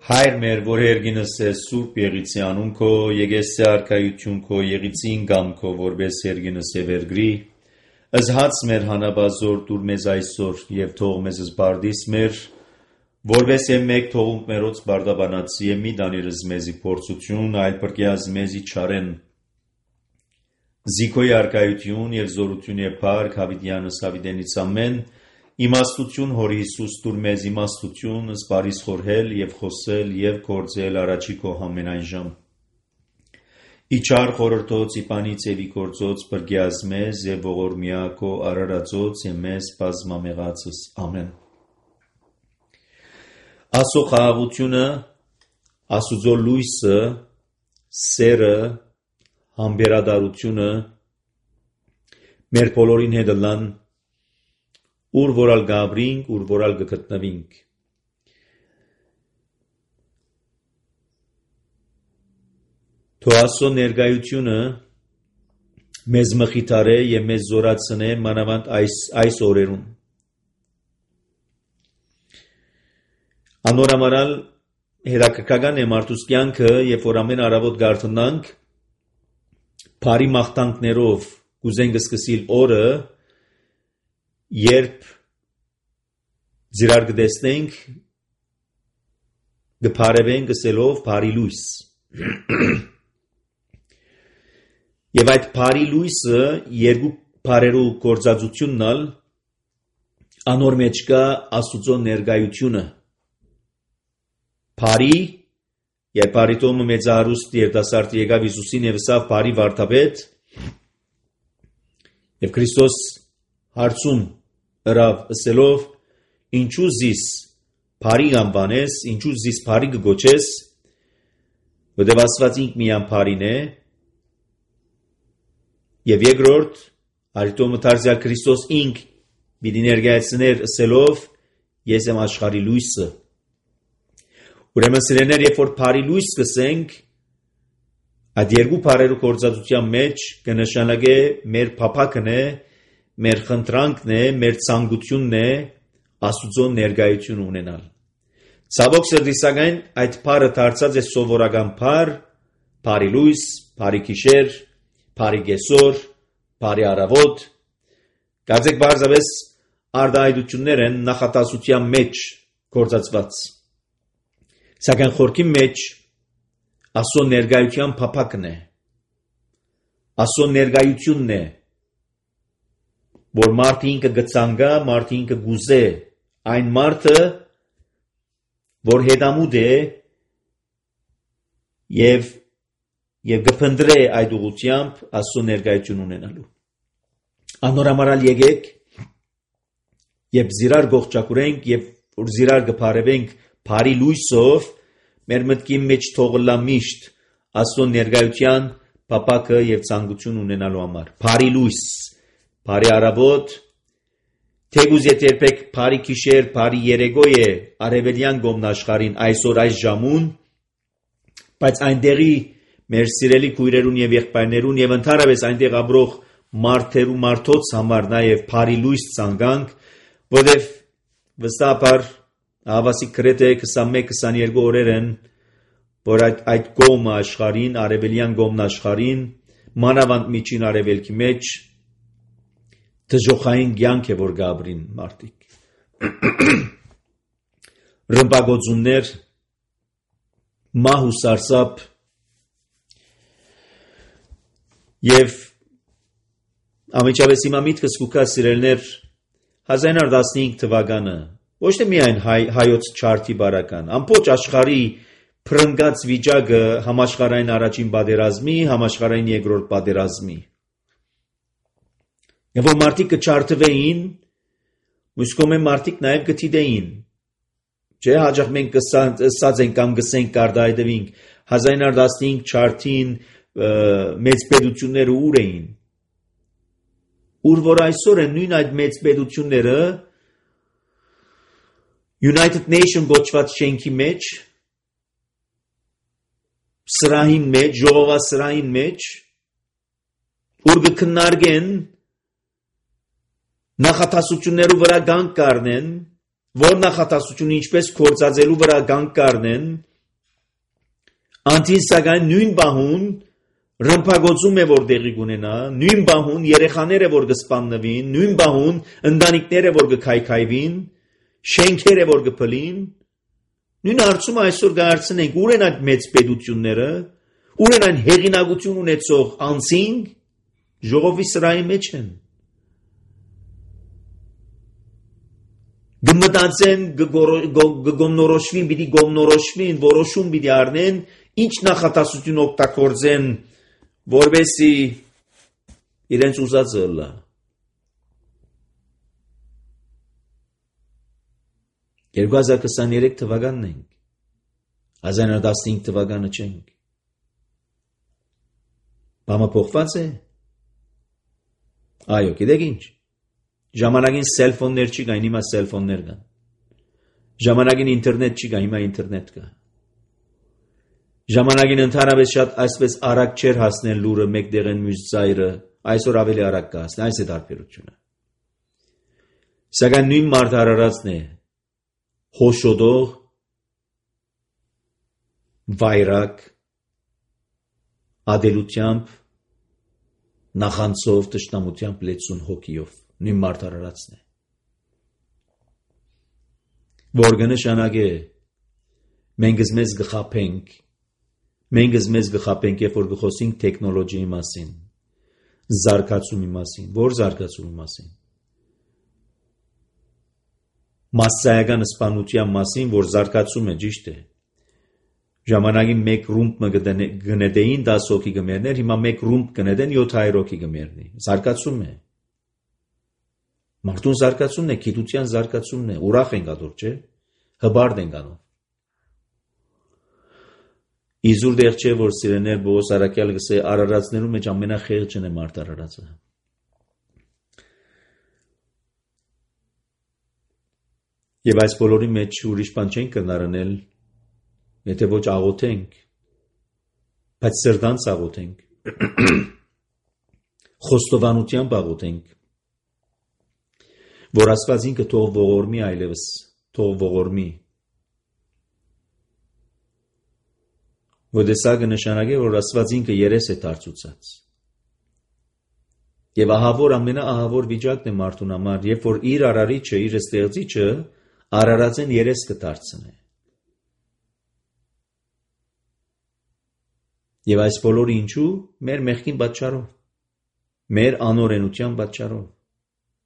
Հայր մեր, որ երգինս է սուրբ եղիցի անուն քո, եկես է արքայություն քո, եղիցին գամ քո, որպես երգինս է վերգրի, ըզհաց մեր հանաբազոր դուր մեզ այսօր և թող մեզ զբարդիս մեր, որպես է մեկ թողունք մերոց բարդաբանացի է մի դանիրыз մեզի փորձություն, այլ պրկյազ մեզի չարեն, զիքոյ արքայություն և զորություն է փառք հավիտյանս հավիտենից ամեն, իմաստություն հորի Հիսուս դուր մեզ իմաստություն, զբարիս խորհել և խոսել և գործել առաջի քո ամենայն ժամ։ Իչար խորհրդոց իպանից և իգործոց պրկյազ մեզ և ողորմյա քո արարածոց և մեզ բազմամեղացս ամեն։ Աստծո խաղաղությունը, Աստուծո լույսը, սերը, համբերատարությունը մեր բոլորին հետ լան ուր որալ գաբրինք, ուր որալ գգտնվինք։ Թո Աստծո ներկայությունը մեզ մխիթարե և մեզ զորացնե մանավանդ այս օրերում։ Անորամարալ հետաքրքրական է մարդուս կյանքը, երբ որ ամեն առավոտ գարթնանք, բարի մաղթանքներով կուզենք սկսել օրը, երբ ձիրար կտեսնենք, կփարևենք ասելով բարի լույս։ Եվ այդ բարի լույսը երկու բարերու գործածությունն անոր մեջ կա Աստուծո ներկայությունը։ Բարի Երբ բարիտոմը մեծարուստ երիտասարդ եկավ Հիսուսին և ասավ բարի վարդապետ, և Քրիստոս հարցում ըրավ ասելով, ինչու զիս բարի անվանես, ինչու զիս բարի կգոչես, որտև Աստված ինք միայն բարին է, և երկրորդ բարիտոմը դարձյալ Քրիստոս ինք պիտի ներկայացներ ասելով, ես եմ աշխարհի լույսը։ Ուրեմն սիրելիներ, երբ որ բարի լույս սկսենք, այդ երկու բարերու գործածության մեջ կնշանակե մեր փափակն է, մեր խնդրանքն է, մեր ցանկությունն է Աստուծո ներկայություն ունենալ։ Ցավոք սրտի սակայն այդ բարը դարձած է սովորական բառ, բարի լույս, բարի գիշեր, բարի կեսօր, բարի առավոտ։ Կարծեք բարձրապես արտահայտություններ են նախատասության մեջ գործածված։ Սակայն խորքի մեջ Աստծո ներկայության փափակն է, Աստծո ներկայությունն է, որ մարդը ինքը գծանգա, մարդը ինքը գուզե, այն մարդը, որ հետամուտ է և գփնտրե այդ ուղղությամբ Աստծո ներկայություն ունենալու։ Անորամարալ եկեք, երբ զիրար գողջակուրենք և որ զիրար կփարևենք բարի լույսով, մեր մտքի մեջ թողլա միշտ Աստծո ներկայության փափակը և ցանկություն ունենալու համար։ Բարի լույս, բարի առավոտ, թեկուզ երբեք բարի գիշեր, բարի երեկո է արևելյան գոմնաշխարհին այսօր այս ժամուն, բայց այնտեղի մեր սիրելի քույրերուն և եղբայրներուն և ընդհանրապես այնտեղ ապրող մարդոց համար նաև բարի լույս ցանկանք, որտև վստահաբար հավասիկ գրեթե 21-22 օրեր են, որ այդ կողմը աշխարհին, արևելյան կողմն աշխարհին, մանավանդ միջին արևելքի մեջ դժոխային կյանք է, որ գաբրին մարդիկ։ Ռմբագոծումներ, մահ ու սարսափ և ամենջապես հիմա միտքս կուքա սիրելներ 1915 թվականը ոչ թե միայն հայոց չարթի բարական, ամբողջ աշխարհի փրկած վիճակը համաշխարհային առաջին պատերազմի, համաշխարհային երկրորդ պատերազմի։ Եվ որ մարդիկ կչարթվեին, մյուս կողմը մարդիկ նաև կթիդեին։ Չէ, հաճախ մենք ասած ենք կամ գսենք կարտահայտվենք 1915 չարթին մեծ պետությունները ուր էին։ Ուր որ այսօր են նույն այդ մեծ պետությունները United Nation գոչված շենքի մեջ, սրահին մեջ, ժողովասրահին մեջ, ուր կքննարկեն նախատասություններու վրա գանք կառնեն, որ նախատասությունը ինչպես գործածելու վրա գանք կառնեն, Անտին սակայն նույն բահուն ռմբագործում է որ տեղի կունենա, նույն բահուն երեխաները որ կսպաննվին, նույն բահուն ընտանիքները որ կքայքայվին, շենքերը որ կփլին, նույն հարցումը այսօր կհարցնենք ուր են այդ մեծ պետությունները, ուր են այն հեղինակություն ունեցող անձինք, ժողովի սրահի մեջ են։ Գմտածեն գոմնորոշվին, պիտի գոմնորոշվին, որոշում պիտի առնեն, ինչ նախատասություն օգտագործեն, որպեսզի իրենց ուզածը լա։ 2023 թվականն ենք, 1915 թվականը չենք։ Բամը փոխված է։ Այո, գիտեք ինչ։ Ժամանակին սելֆոններ չի կա, հիմա սելֆոններ կան։ Ժամանակին ինտերնետ չի կա, հիմա ինտերնետ կա։ Ժամանակին ընդհանրապես շատ այսպես արագ չէր հասնել լուրը մեկտեղ են մյուս ծայրը, այսօր ավելի արագ կհասնի, այս է տարբերությունը։ Սակայն նույն մարդարարածն է հոշոտող, վայրակ, ադելությամբ, նախանցով, տշնամությամբ լեցուն հոգիով, նույն մարդարարածն է։ Որ կնշանակե մենք մեզ գխապենք, երբ որ գխոսենք տեխնոլոգիայի մասին, զարգացումի մասին, որ զարգացումի մասին։ Մասսայական սպանության մասին, որ զարգացում է, ճիշտ է։ Ժամանակին մեկ ռումբ գնետեին 10 հոգի գմերներ, հիմա մեկ ռումբ գնետեն 700 հոգի գմերնի։ Զարգացում է։ Մարդուն զարգացումն է, գիտության զարգացումն է, ուրախ ենք ադոր, չէ։ Հբարդ ենք անով։ Իզուր դեղ չէ, որ սիրեներ Բողոս Արաքյալը գսե արարածներու մեջ ամենախեղճն է մարդ արարածը։ Եվ այս բոլորի մեջ ուրիշ բան չենք կնարանել, եթե ոչ աղոթենք, բայց սրտանց աղոթենք, խոստովանությամբ աղոթենք, որ Աստված ինքը թող ողորմի այլևս, թող ողորմի, որ դեսա կնշանակե, որ Աստված ինքը երես է դարձուցած։ Եվ ահավոր ամենաահավոր վիճակն է մարդուն համար, երբ որ իր արարիչը, իր ստեղծիչը արարածեն երես կդարձնե։ Եվ այս բոլորը ինչու? Մեր մեղքին պատճառով, մեր անօրենության պատճառով,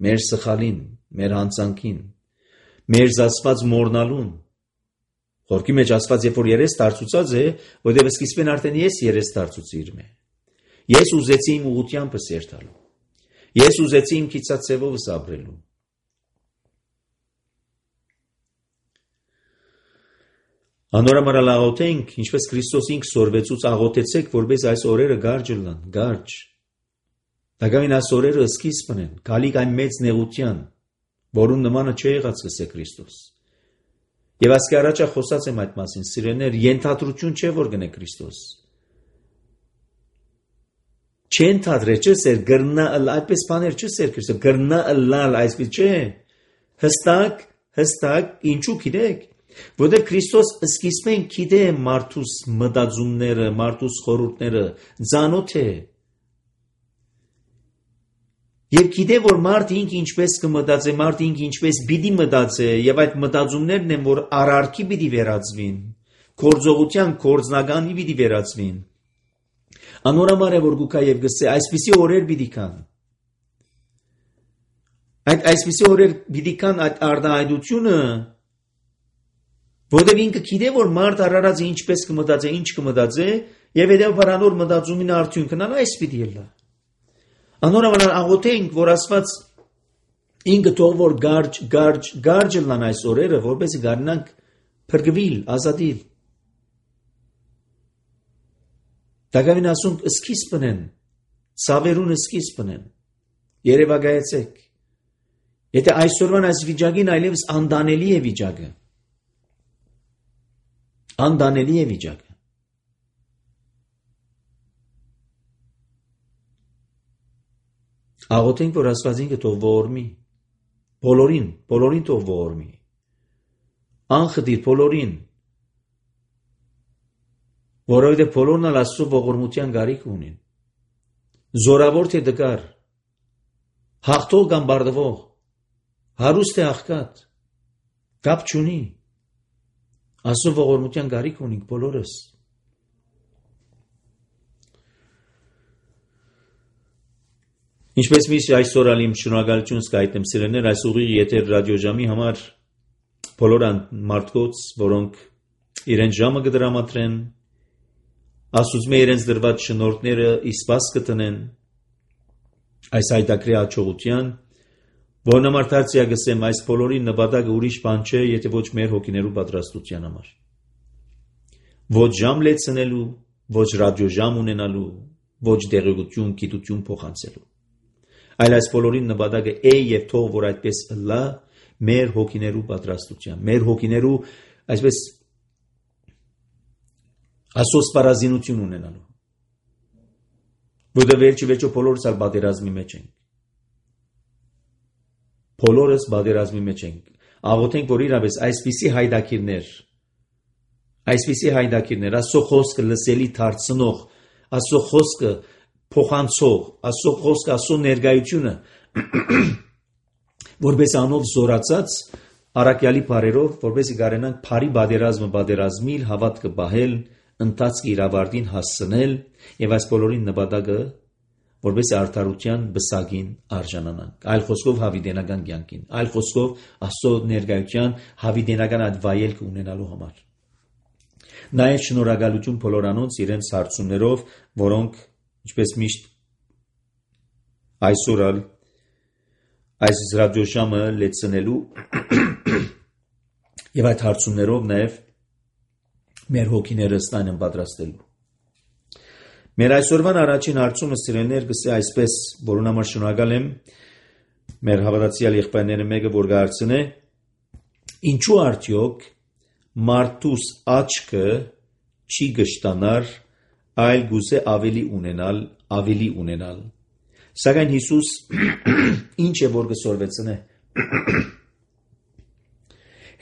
մեր սխալին, մեր հանցանքին, մեր զասված մորնալուն։ Խորքի մեջ ասված, երբ որ երես դարձուցած է, որտեղ սկիզբեն արդեն ես երես դարձուցի իր մե։ Ես ուզեցի իմ ուղղությանս երթալու։ Ես ուզեցի իմ քիծացևովս ապրելու։ Անորամարալ աղոթենք, ինչպես Քրիստոս ինք սորվեցուց աղոթեցեք, որպես այս օրերը գարջ լան, գարջ։ Դակամին այս օրերը սկիզբն են, գալիք այն մեծ նեղության, որուն նմանը չէ եղած գսե Քրիստոս։ Եվ ասկի առաջա խոսած եմ այդ մասին, սիրեներ, ենթադրություն չէ, որ գնե Քրիստոս։ Չեն թադրե, չէ սեր, գրնա ըլ, այդպես բաներ չէ սեր Քրիստոս, գրնա ըլլալ, այսպես չէ, հստակ, ինչու գիտեք, որտեղ Քրիստոս սկիզբեն գիտե մարդուս մտածումները, մարդուս խորհուրդները, ծանոթ է։ Եվ գիտե, որ մարդ ինք ինչպես կմտածե, մարդ ինք ինչպես պիտի մտածե, եւ այդ մտածումներն են, որ արարքի պիտի վերածվին, գործողության գործնականի պիտի վերածվին։ Անորամար է, որ գուկա եւ գսե, այսպիսի օրեր պիտի կան։ Այդ այսպիսի օրեր պիտի կան այդ արդահայտությունը, որտեղ ինքը գիտե, որ մարդ արարածը ինչպես կմտածե, ինչ կմտածե, եւ հետեւաբար անոր մտածումին արդյունքն այս պիտի լա։ Անորամար աղոթենք, որ Աստված ինքը թող որ գարջ լան այս օրերը, որպեսզի գարնանք փրկվել, ազատիլ։ Դակամին ասում սկիզբն են, ցավերուն սկիզբն են։ Երևակայեցեք։ Եթե այսօրվան այս վիճակին այլևս անդանելի է վիճակը։ Անդանելի է վիճակը։ Աղոթենք, որ Աստված ինքը թող ողորմի, բոլորին թող ողորմի, անխտիր բոլորին, որովհետև բոլորն էլ Աստծո ողորմության գարիք ունին։ Զորավոր թե դկար, հաղթող կամ բարդվող, հարուստ թե աղքատ, կապ չունի։ Աստծո ողորմության գարիք ունենք բոլորս։ Ինչպես միշտ այսօր ալիմ շնորհակալություն զգայտնեմ սիրելիներ այս ուղիղ եթեր ռադիոժամի համար բոլոր մարդկանց, որոնք իրենց ժամը կդրամատրեն, Աստծո իրենց դրված շնորհները իսպաս կտնեն այս հայտակրի հաջողության, որն համար դարձյալ գսեմ այս բոլորի նպատակը ուրիշ բան չէ, եթե ոչ մեր հոգիներու պատրաստության համար։ Ոչ ժամ լեցնելու, ոչ ռադիոժամ ունենալու, ոչ դեղեցություն, գիտություն փոխանցելու։ Այլ այս բոլորի նպատակը է եւ թող որ այդպես լա մեր հոգիներու պատրաստության, մեր հոգիներու այսպես ասոս պարազինություն ունենալու։ Որտեղ վերջի բոլորս ալ բادرազմի մեջ ենք։ Բոլորս բادرազմի մեջ ենք։ Աղոթենք, որ իրավես այսպիսի հայդակիրներ, Աստծո խոսքը լսելի դարձնող, Աստծո խոսքը փոխանցող, Աստծո խոսքը, Աստծո ներկայությունը, որպես անով զորացած առաքյալի բարերով, որպեսզի կարենանք բարի բادرազմիլ հավատքը բահել, ընթացքի իրավարտին հասցնել եւ այս բոլորին նպատակը որպես արդարության բսակին արժանանանք։ Այլ խոսքով հավիտենական կյանքին, այլ խոսքով Աստծո ներկայության հավիտենական այդ վայելքը ունենալու համար։ Նաեւ շնորհակալություն բոլորանոց իրենց հարցումներով, որոնք ինչպես միշտ այսօր այս ռադիոժամը լեցնելու եւ այդ հարցումներով նաեւ մեր հոգիները ստան են պատրաստելու։ Մեր այսօրվան առաջին հարցումը սիրելիներ գսե այսպես, որոնց համար շնորհակալ եմ մեր հավատացյալ եղբայրները մեկը որ գարցնե ինչու արդյոք մարդուս աչքը չի գշտանար այլ գուզե ավելի ունենալ սակայն Հիսուս ինչ է որ գսորվեցնե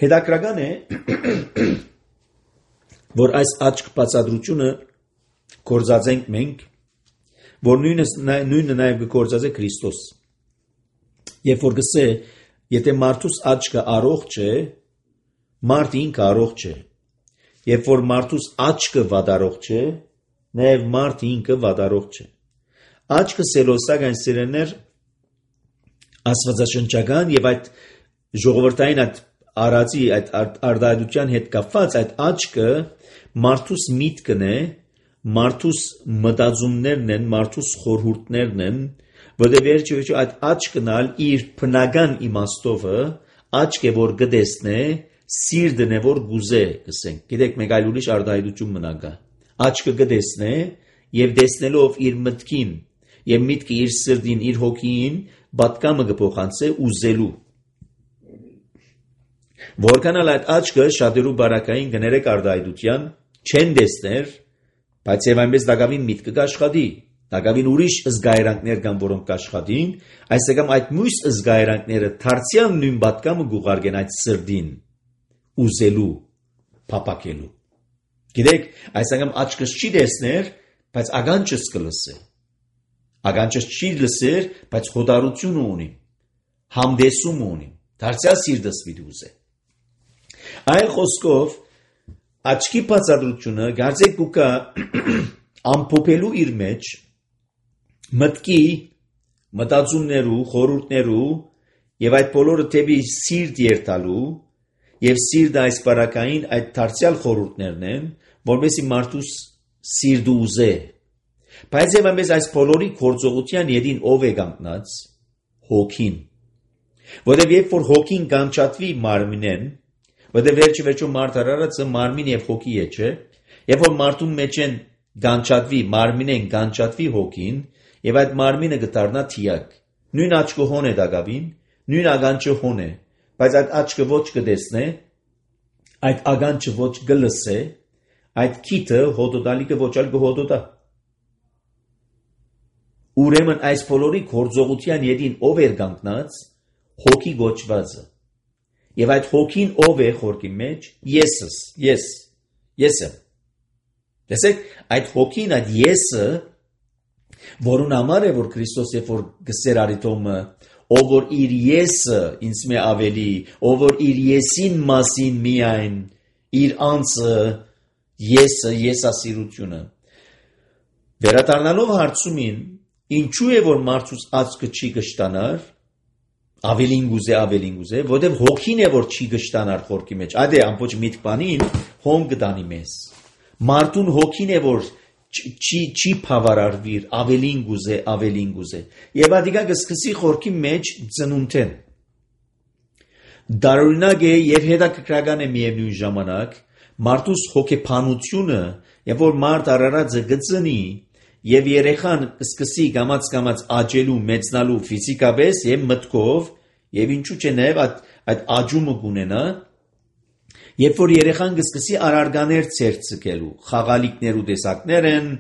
հետաքրական է որ այս աչք բացադրությունը գործածենք մենք, որ նույնը նաև գործածե Քրիստոս։ Երբ որ գսե, եթե մարդուս աչքը առողջ է, մարդ ինքը առողջ է։ Երբ որ մարդուս աչքը վատառողջ է, նաև մարդ ինքը վատառողջ է։ Աչքը սելոսական սիրելներ աստվածաշնչական եւ այդ ժողովրդային այդ արածի այդ արդարության հետ կապված այդ աչքը մարդուս միտքն է, մարդուս մտածումներն են, մարդուս խորհուրդներն են, որտեղ վերջի այդ աչքն ալ իր բնական իմաստովը աչք է որ գտեսնե, սիրտն է որ գուզե, գսենք։ Գիտեք, մեկ այլ ուրիշ արդարություն մնա։ Աչքը գտեսնե եւ տեսնելով իր մտքին եւ միտքը իր սրտին, իր հոգին պատկամը կփոխանցե ուզելու։ Որքան այդ աչքը շատերու բարակային գներեք արդարության չեն տեսներ, բայց եւ այնպես դակավին միտքը կաշխատի, դակավին ուրիշ զգայրանքներ կան, որոնք կաշխատին, այսինքն այդ մյուս զգայրանքները դարձյալ նույն պատկամը գուղարկեն այդ սրտին ուզելու, փապակելու։ Գիտեք, այսինքն աչքս չի տեսներ, բայց ագանչս կլսե։ Ագանչս չի լսեր, բայց խոդարություն ունի, համդեսում ունի, դարձյալ սիրտս պիտի ուզե։ Այլ խոսքով աչքի բացադրությունը գարձեք կուկա ամփոփելու իր մեջ մտքի մտածումներու, խորհուրդներու եւ այդ բոլորը թեպի սիրտ երթալու եւ սիրտը այս բարակային այդ դարձյալ խորհուրդներն են, որովհետեւ մարդուս սիրտը ուզե։ Բայց եւ այնպես այս բոլորի գործողության յետին ով է կանգնած հոգին։ Որովհետեւ երբ որ հոգին կանչատվի մարմինեն, որտեղ վերջի մարդարարածը մարմին եւ հոգի է, չէ՞։ Երբ որ մարդուն մեջ են գանչատվի, մարմինեն գանչատվի հոգին, եւ այդ մարմինը կդառնա թիակ։ Նույն աչքը հոն է դակավին, նույն ագանչը հոն է, բայց այդ աչքը ոչ կտեսնե, այդ ագանչը ոչ կլսե, այդ քիթը հոդոդալիկը ոչ ալ կհոդոդա։ Ուրեմն այս բոլորի գործողության յետին ով էր կանգնած, հոգի գոչվածը։ Եվ այդ հոգին ով է խորքի մեջ, ես եմ։ Տեսեք, այդ հոգին, այդ եսը, որուն համար է, որ Քրիստոս երբ որ գսեր Արիտոմը, ով որ իր եսը ինձ մե ավելի, ով որ իր եսին մասին միայն, իր անձը, եսը, եսասիրությունը։ Վերադառնալով հարցումին, ինչու է որ մարդուց աչքը չի կշտանար, ավելին գուզե, որտեղ հոգին է որ չի կշտանար խորքի մեջ, այդ է ամբողջ միտք բանին հոմ կդանի մեզ։ Մարդուն հոգին է որ չի բավարարվիր, ավելին գուզե։ Եվ ադիկա կսկսի խորքի մեջ ծնունդեն։ Դարօրինակ է եւ հետաքրքրական է միևնույն ժամանակ, մարդուս հոգեբանությունը, երբ որ մարդ արարածը գծնի եւ երեխան սկսի կամած աճելու, մեծնալու ֆիզիկապես եւ մտքով, եւ ինչու՞ չէ նաեւ այդ աճումը կունենա, երբ որ երեխան կսկսի արարգաներ ցերծկելու, խաղալիքներ ու տեսակներ են,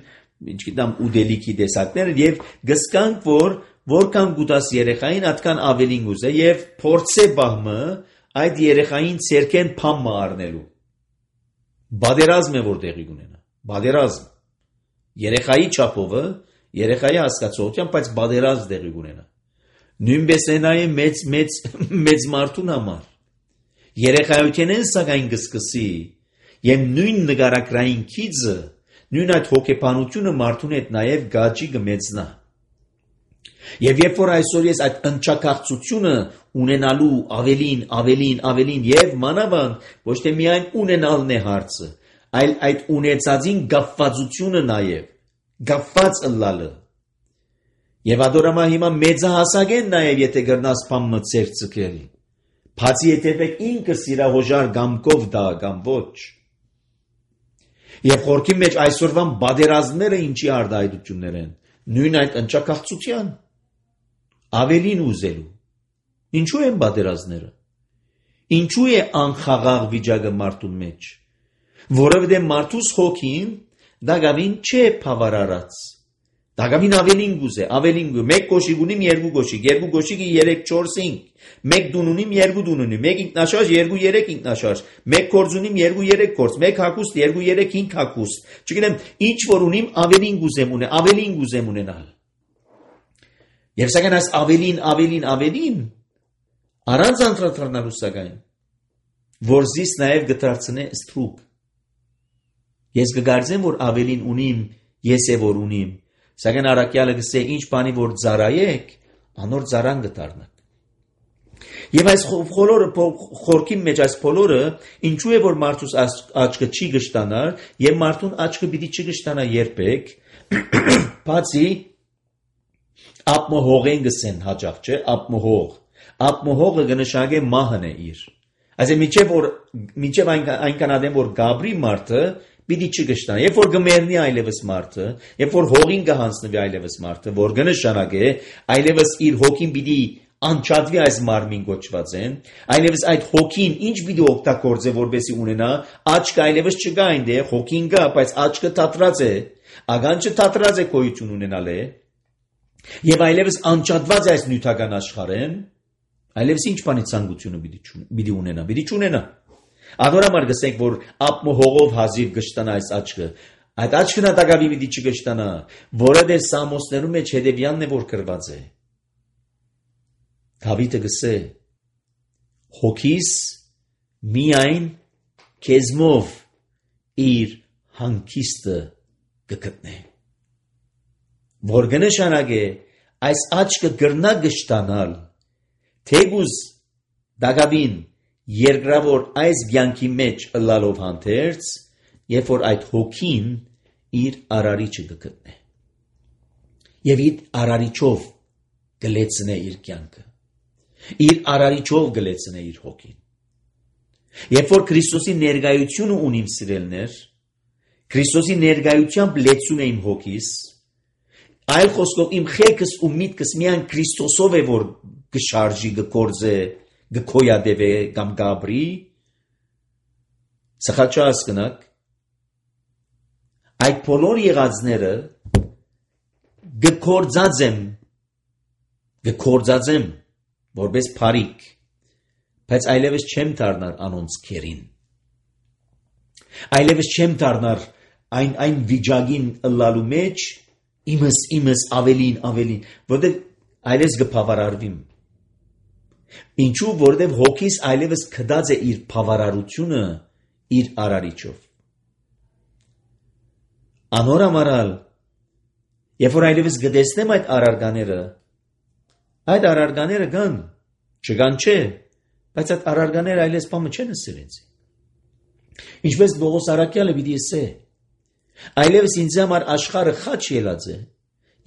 ինչքան ուդելիքի տեսակներ են եւ գսկանք որ որքան գուտաս երեխային, այդքան ավելին գուզե եւ փորձե բահմը այդ երեխային ցերքեն փամը առնելու։ Բادرազմ է որ տեղի ունենա, բادرազմ։ Երեխայի չափովը, երեխայի հասկացողությամբ, բայց բادرազմ տեղի ունենա։ Նույնպես է նաեւ մեծ մարդուն համար։ Երեխայությունն սակայն կսկսի եւ նույն նկարագրային քիծը, նույն այդ հոգեբանությունը մարդուն հետ նաեւ գաճի կմեծնա։ Եվ երբ որ այսօր ես այդ ընչակացությունը ունենալու ավելին եւ մանավանդ ոչ թե միայն ունենալն է հարցը, այլ այդ ունեցածին գապվածությունը նաեւ, գապված ըլլալը։ Եվ ադորամա հիմա մեծահասակ են նաեւ եթե գրնաս փամը ցերծկել։ Բացի հետևեք ինքս իրա հոժար գամկով դա կամ ոչ։ Եվ խորքի մեջ այսօրվան բادرազները ինչի արդայդություններ են, նույն այդ ընչակացության, ավելին ուզելու։ Ինչու են բادرազները։ Ինչու է անխաղաղ վիճակը մարդու մեջ։ Որովհետև մարդուս հոգին դագավին չէ բավարարած։ Դագավին ավելին գուզե, մեկ կոշիկ ունիմ, երկու կոշիկի 3-4-5, մեկ դուն ունիմ, երկու դուն ունիմ, մեկ ինքնաշարժ, 2-3 ինքնաշարժ, մեկ կորձ ունիմ, 2-3 կորձ, մեկ հագուստ, 2-3-5 հագուստ։ Չգիտեմ, ինչ որ ունիմ, ավելին գուզեմ ունենալ։ Եվ սակայն այս ավելին, առանց անդրադառնալու սակայն, որ զիս նաև գտարցնե ստրուկ։ Ես կգարձեմ, որ ավելին ունիմ, ես է որ ունիմ, սակայն առակյալը գսե ինչ բանի որ ծարայեք, անոր ծարան գտարնակ։ Եվ այս խորքի մեջ այս բոլորը ինչու է որ մարդուս աչքը չի գշտանար եւ մարդուն աչքը պիտի չգշտանա երբեք, բացի ապմոհողեն գսեն հաճախ չէ, ապմոհողը կնշանակե մահն է իր։ Այսինքն մինչև այնքան ադեմ որ գաբրի մարդը պիտի չգշտանա, երբ որ գմերնի այլևս մարդը, երբ որ հողին կհանձնվի այլևս մարդը, որ կնշանակե այլևս իր հոգին պիտի անչադվի այս մարմին կոչված են, այլևս այդ հոգին ինչ պիտի օգտագործե որպեսզի ունենա, աչքը այլևս չկա այնտեղ, հոգին կա, բայց աչքը թատրած է, ագանչը թատրած է գոյություն ունենալ է, եւ այլևս անչադված է այս նյութական աշխարհեն, այլևս ինչ բանի ցանկությունը պիտի ունենա։ Ադորամար գսենք, որ ապմոհողով հազիվ գշտանա այս աչքը, այդ աչքն ատագավի պիտի չգշտանա, որովհետև Սամոսներում մեջ հետևյալն է որ գրված է։ Դավիթը գսե. հոգիս միայն քեզմով իր հանգիստը կգտնե։ Որ կնշանակե այս աչքը գրնա գշտանալ, թեգուզ դագավին երկրավոր այս ցանկի մեջ ըլլալով հանդերձ, երբ որ այդ հոգին իր արարիչը կգտնե։ Եվ իր արարիչով գլեցնե իր կյանքը։ Իր արարիչով գլեցնե իր հոգին։ Երբ որ Քրիստոսի ներկայությունը ունիմ սիրելներ, Քրիստոսի ներկայությամբ լեցուն է իմ հոգիս, այլ խոսքով իմ խելքս ու միտքս միայն Քրիստոսով է որ գշարժի, գկործե, գկոյադևե կամ գաբրի, սխալ չհասկնաք, այդ բոլոր եղածները գկործածեմ որպես փարիք, բայց այլևս չեմ դառնար անոնց քերին, այլևս չեմ դառնար այն վիճակին ըլլալու մեջ իմս ավելին, որտեղ այլևս կբավարարվիմ։ Ինչու, որտեղ հոգիս այլևս կդած է իր բավարարությունը իր արարիչով։ Անոր ամարալ, երբ որ այլևս գտեսնեմ այդ արարկաները կան, չկան չէ, բայց այդ արարկաները այլևս բամը չեն ասել ինձ։ Ինչպես Պողոս առաքյալը պիտի ասե, այլևս ինձ համար աշխարհը խաչ ելած է,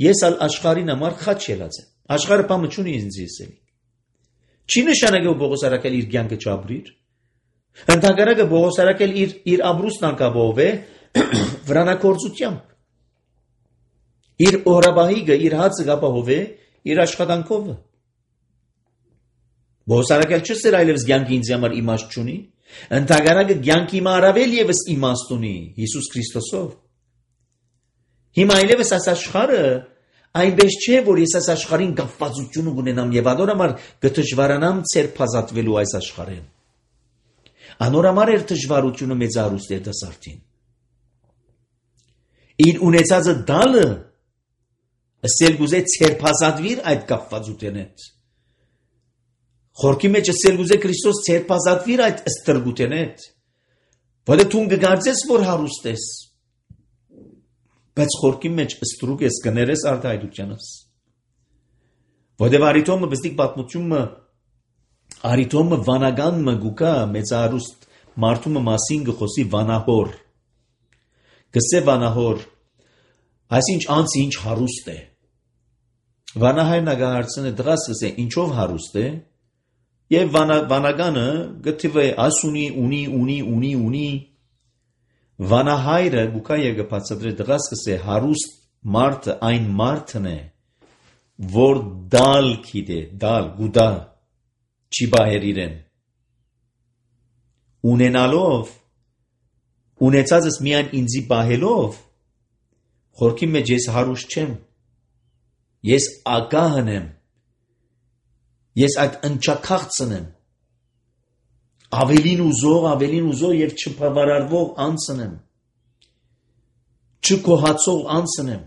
ես ալ աշխարհին համար խաչ ելած եմ։ Աշխարհը բամը չունի ինձ ասել։ Չի նշանակում Պողոս առաքյալը իր կյանքը չապրիր։ Ընդհանրակը Պողոս առաքյալը իր ամրուստն անկաբով է վրանակորձությամբ։ Իր օրաբահիգը, իր հացը կապահով է իր աշխատանքով։ Պողոս առաքյալը չսեր այլևս կյանքը ինձ համար իմաստ չունի։ Ընդհանրակը կյանքի հիմա առավել եւս իմաստ ունի Հիսուս Քրիստոսով։ Հիմա այլևս այս աշխարհը այնպես չէ, որ ես այս աշխարհին կապվածություն ունենամ եւ անոր համար կդժվարանամ ցերփազատվելու այս աշխարհին։ Անոր համար էր դժվարությունը մեծ արուստ երիտասարդին։ Իր ունեցածը դալը ասել գուզե ցերփազատվիր այդ կապվածությունից։ Խորքի մեջ ասել գուզե Քրիստոս ցերփազատվիր այդ ստրգութենից։ Որը դու կգարձես, որ հարուստ ես։ Բայց խորքի մեջ ստրուկ ես կներես արդայդությանս։ Որտեղ արիտոմը բստիկ պատմությունը արիտոմը վանագանը գուկա մեծ արուստ մարդումը մասին գխոսի վանահոր։ Գսե վանահոր, այսինչ անց ինչ հարուստ է։ Վանահայրն ագահարցն է դրաս գսե ինչով հարուստ է, եւ վանագանը գթիվե ասունի ունի Վանահայրը գուկա եկը բացատրե դրաս գսե հարուստ մարդը այն մարդն է, որ դալ գիտե, գուդա չի բահեր իրեն։ Ունենալով, ունեցածս միայն ինձի բահելով, խորքի մեջ ես հարուստ չեմ, ես ագահն եմ, ես այդ ընչակաղցն եմ, ավելին ուզող եւ չբավարարվող անձն եմ, չկոհացող անձն եմ։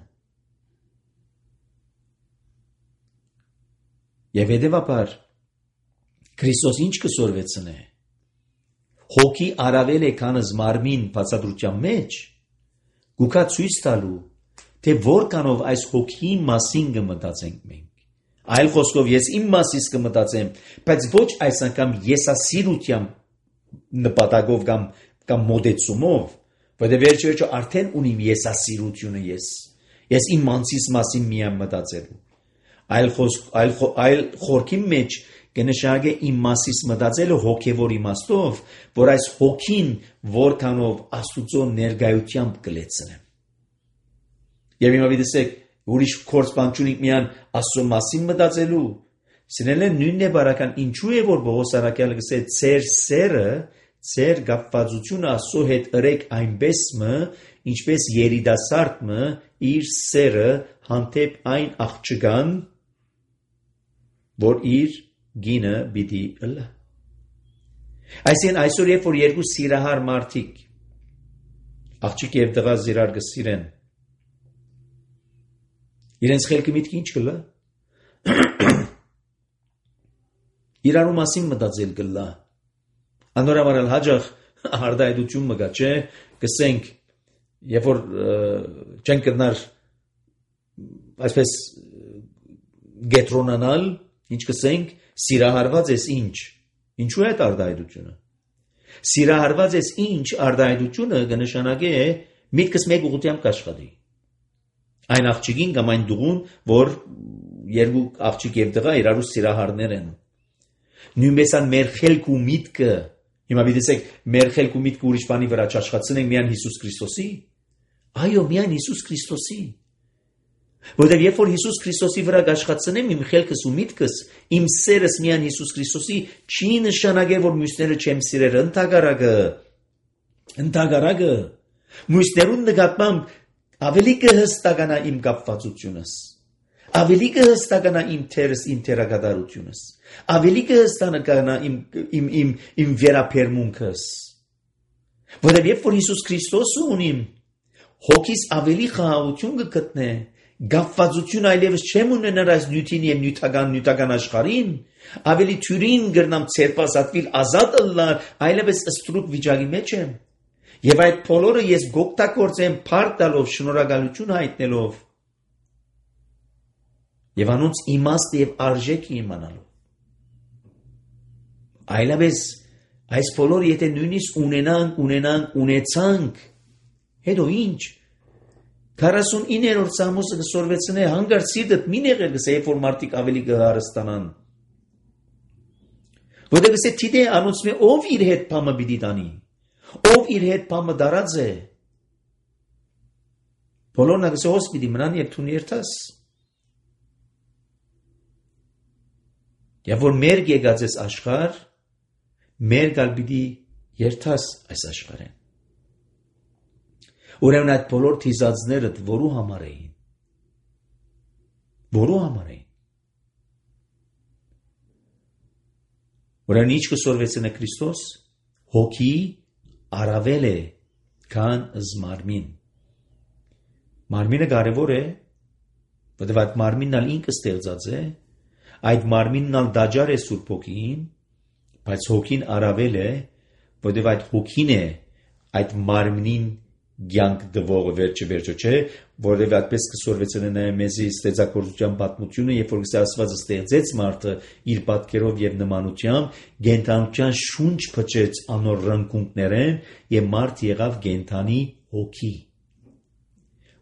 Եվ հետևաբար Քրիստոս ինչ կսորվեցն է, հոգի առավել է քանս մարմին բացատրության մեջ, գուկա ցույց տալու, թե որքանով այս հոգի մասին կմտածենք մենք։ Այլ խոսքով ես իմ մասից կմտածեմ, բայց ոչ այս անգամ եսասիրությամբ նպատակով կամ մոդեցումով, որտեղ վերջը արդեն ունիմ եսասիրությունը ես իմ անձիս մասին միայն մտածելու։ Այլ խորքի մեջ կնշանակե իմ մասից մտածելը հոգևոր իմաստով, որ այս հոգին որքանով Աստուծո ներկայությամբ կլեցնեմ։ Եվ հիմա դիտեք, ուրիշ կորց բան չունի միայն Աստծո մասին մտածելու։ Սիրելիներ, նույնն է բարական, ինչու է որ Պողոս առաքյալը գսե ծեր սերը, ծեր կապվածությունը Աստծո հետ ըրեք այնպես ինչպես երիտասարդը իր սերը հանդեպ այն աղջկան, որ իր գինը պիտի ըլլա։ Այսինքն այսօր երբ որ երկու սիրահար մարդիկ աղջիկ եւ տղա իրար կսիրեն, իրենց խելքը միտքը ինչ կլա։ Իրարու մասին մտածել կլա։ Անորամարալ հաջող արդայդություն մգա, չէ, կսենք, երբ որ չեն կրնար այսպես գետրոնանալ, ինչ կսենք, սիրահարված ես ինչ։ Ինչու է այդ արդայդությունը։ Սիրահարված ես ինչ արդայդությունը կնշանակե միտքս մեկ ուղղությամբ կաշխատի։ Այն աղջիկին կամ այն դուղուն, որ երկու աղջիկ եւ տղա իրարու սիրահարներ են։ Նույնպես ան մեր խելք ու միտքը, հիմա դիտեք, մեր խելք ու միտքը ուրիշ բանի վրա չաշխատցնենք միայն Հիսուս Քրիստոսի։ Այո, միայն Հիսուս Քրիստոսի։ Որտեղ երբ որ Հիսուս Քրիստոսի վրա աշխատցնեմ իմ խելքս ու միտքս, իմ սերս միայն Հիսուս Քրիստոսի, չի նշանակել որ մյուսները չեմ սիրել, ընդհակառակը մյուսներուն նկատմամբ ավելի կհստականա իմ կապվածությունս, ավելի կհստականա իմ թերս, իմ թերակատարությունս, ավելի կհստականա իմ վերապերմունքս։ Որտեղ երբ որ Հիսուս Քրիստոսը ունիմ, հոգիս ավելի խաղաղություն կգտնե, գապվածություն այլևս չեմ ունենար այս նյութին և նյութական աշխարհին, ավելի թյուրին գրնամ ցերպասատվիլ ազատ ըլլար, այլևս ստրուկ վիճակի մեջ եմ, և այդ բոլորը ես գօգտագործեմ փառք տալով, շնորհակալություն հայտնելով, և անոնց իմաստը և արժեքը իմանալով։ Այլապես այս բոլորը եթե նույնիսկ ունեցանք, հետո ինչ, 49-րդ Սամոսը կսորվեցնե հանգար սիրտդ մի նեղել գսե, երբ որ մարդիկ ավելի կհարստանան։ Որտեղ գսե թիդե անոնց մե ով իր հետ փամը պիտի տանի, ով իր հետ փամը դարած է, բոլորն գսե հոս պիտի մնան և թուն երթաս։ Եվ որ մեր եկած ես աշխարհ, մեր գալ պիտի երթաս այս աշխարհեն։ Ուրեմն այդ բոլոր թիզածները որու համար էին։ Ուրեմն ինչ կսորվեցնե Քրիստոս, հոգի առավել է, քան զմարմին։ Մարմինը կարևոր է, որտեղ այդ մարմինն ալ ինքը ստեղծած է, այդ մարմինն ալ դաջար է Սուրբ Հոգին, բայց հոգին առավել է, որտեղ այդ հոգին է այդ մարմնին կյանք տվողը վերջը չէ, որովհետև այդպես կսորվեցնե նաև մեզի ստեղծագործության պատմությունը, երբ որ Աստված ստեղծեց մարդը իր պատկերով եւ նմանությամբ, գենթանության շունչ փչեց անոր ռնկունքներեն եւ մարդ եղավ գենթանի հոգի։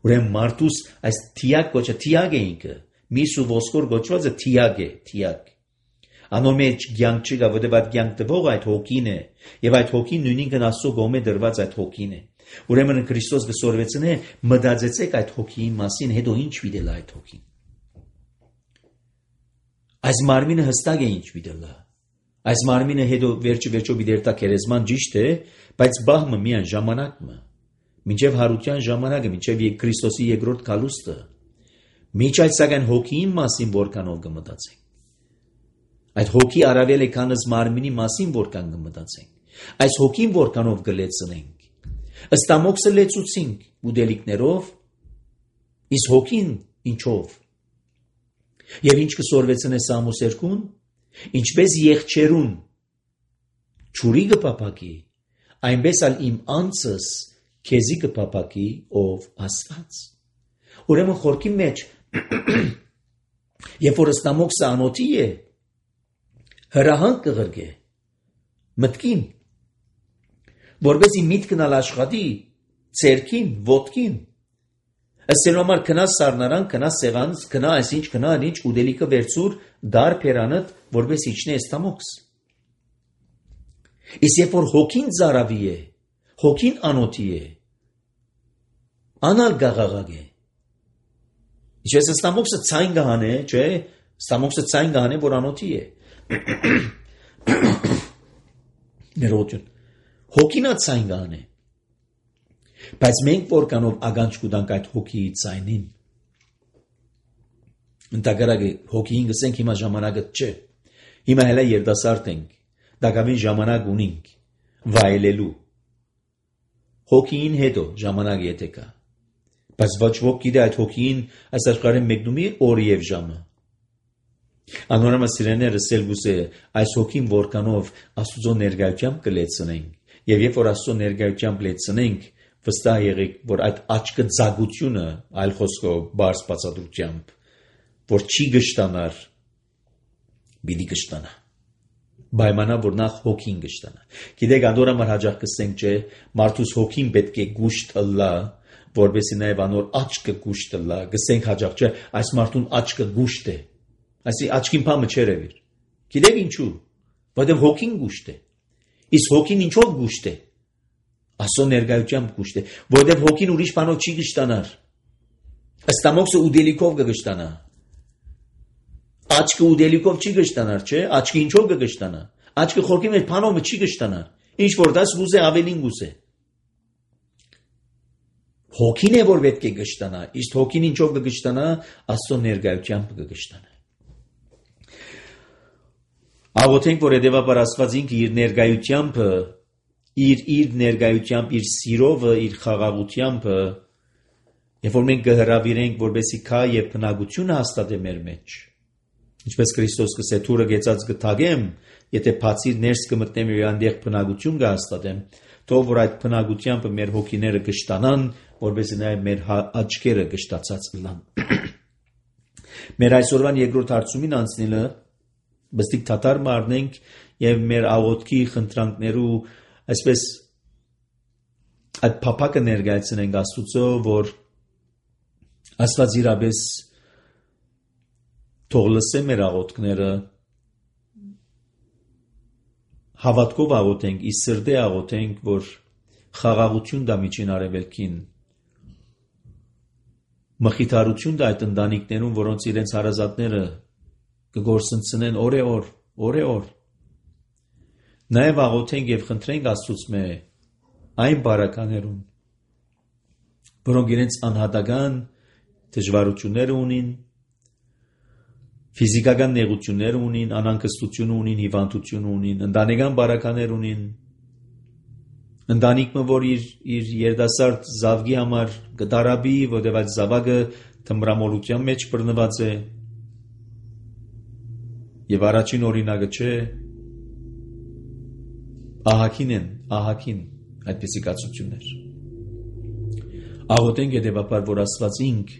Ուրեմն մարդուս այս թիակ կոչը թիակ է ինքը, միս ու ոսկոր կոչվածը թիակ է, թիակ։ Անոր մեջ կյանք չկա, որովհետև այդ կյանք տվող այդ հոգին է, եւ այդ հոգին նույնինքն Աստծո կողմէ դրված այդ հոգին է։ Ուրեմն Քրիստոս կսորվեցնե մտածեցեք այդ հոգիի մասին, հետո ինչ վիդել այդ հոգին։ Այս մարմինը հստակ է ինչ վիդելա։ Այս մարմինը հետո վերջո վիդերտա քերեզման ճիշտ է, բայց բահմը միայն ժամանակը։ Մինչև հարության ժամանակը, մինչև Քրիստոսի երկրորդ գալուստը։ Միջ այդ սակայն հոգիի մասին որքանով կմտածենք։ Այդ հոգի առավել է քան մարմինի մասին որքան կմտածենք։ Այս հոգին որքանով կլեցնենք։ Ըստ Ամոքսը լեցուցինք ուդելիքներով, իսկ հոգին ինչով։ Եվ ինչ կսորվեցնե Սամոս 2-ն, ինչպես եղջերուն ճուրի կփափակի, այնպես ալ իմ անձս քեզի կփափակի ով Աստված։ Ուրեմն խորքի մեջ, երբ որ ըստ Ամոքսը անոթի է, հրահանգ կղրգե մտքին, որպեսզի միտքն ալ աշխատի ցերքին, ոտքին, ըստ համար քնա սառնարան, քնա սեղանց, քնա այսինչ, քնա այնինչ, ուդելիքը վերցուր դար փերանդ, որպես իջնե ըստ Ամոքս։ Իսկ երբ որ հոգին ծարավի է, հոգին անոթի է, անալ գաղաղակ է։ Ինչպես ըստ Ամոքսը ցայն կհանե, չէ, ըստ Ամոքսը ցայն կհանե, որ անոթի է։ Ներողություն։ Հոգին ցայն կհանե։ Բայց մենք որքանով ագանջ կուտանք այդ հոգիի ցայնին։ Ընդհակառակը հոգին գսենք հիմա ժամանակը չէ։ Հիմա հələ երդասարդ ենք, դակավին ժամանակ ունենք վայելելու։ Հոգին հետո ժամանակ եթե կա։ Բայց ոչ ոք գիտե այդ հոգին այս աշխարհին մեկնումի օր եւ ժամը։ Անորոմը սիրեներս սելգուսե այս հոգին որքանով Աստծո ներկայությամբ կլեցնենք, եւ երբ որ Աստծո ներկայությամբ լեցնենք, վստահ եղեք, որ այդ աչքը ցագությունը, այլ խոսքով բարձ բացատրությամբ, որ չի գշտանար, բիդի գշտանա։ Պայմանա որ նախ հոգին գշտանա։ Գիտեք, անդորամար հաջող կսենք, չէ, մարդուս հոգին պետք է գուշտ ըլլա, որովհետեւ նաեւ անոր աչքը գուշտ ըլլա, գսենք հաջող, չէ, այս մարդուն աչքը գուշտ է։ Այսի աչքին փամը չերևիր։ Գիտեք ինչու։ Որովհետեւ հոգին գուշտ է։ Իսկ հոգին ինչով գուշտ է։ Աստծո ներկայությամբ գուշտ է, որովհետեւ հոգին ուրիշ բանով չի գշտանար։ Ըստ Ամոքսը ուդելիքով կգշտանա։ Աչքը ուդելիքով չի գշտանար, չէ՞։ Աչքը ինչով կգշտանա։ Աչքը խորքի մեջ բանով չի գշտանար։ Ինչ որ դաս գուզե ավելին գուզե։ Հոգին է որ պետք է գշտանա, իսկ հոգին ինչով կգշտանա, Աստծո ներկայությամբ կգշտանա։ Աղոթենք, որ հետևաբար Աստված ինքը իր ներկայությամբ, իր ներկայությամբ, իր սիրովը, իր խաղաղությամբ Երբ որ մենք կհրավիրենք, որպեսզի քա եւ բնակությունը հաստատե մեր մեջ, ինչպես Քրիստոս կսե թուրը գեցած կթագեմ, եթե բացիր ներս կմտնեմ եւ այնտեղ բնակություն կհաստատեմ, թող որ այդ բնակությամբ մեր հոգիները կշտանան, որպեսզի նաեւ մեր աչքերը կշտացած լան։ Մեր այսօրվան երկրորդ հարցումին անցնելը բստիկ թաթար մարնենք եւ մեր աղոթքի խնդրանքներու այսպես այդ փափակը ներկայացնենք Աստծո, որ Աստված իրապես թող լսե մեր աղոթքները, հավատքով աղոթենք, ի սրտե աղոթենք, որ խաղաղություն դա միջին արևելքին, մխիթարություն դա այդ ընտանիքներում, որոնց իրենց հարազատները կգործընծնեն օր, նաև աղոթենք եւ խնդրենք Աստծուց այն բարականերուն, որոնք իրենց անհատական դժվարությունները ունին, ֆիզիկական նեղություններ ունին, անհանգստություն ունին, հիվանդություն ունին, ընտանեկան բարականեր ունին, ընտանիքը, որ իր երիտասարդ զավգի համար կդարաբի, որտեղ այդ զավակը թմրամոլության մեջ բռնված է, եւ առաջին օրինակը չէ, ահագին այդպիսի կացություններ։ Աղոթենք հետևաբար, որ Աստված ինք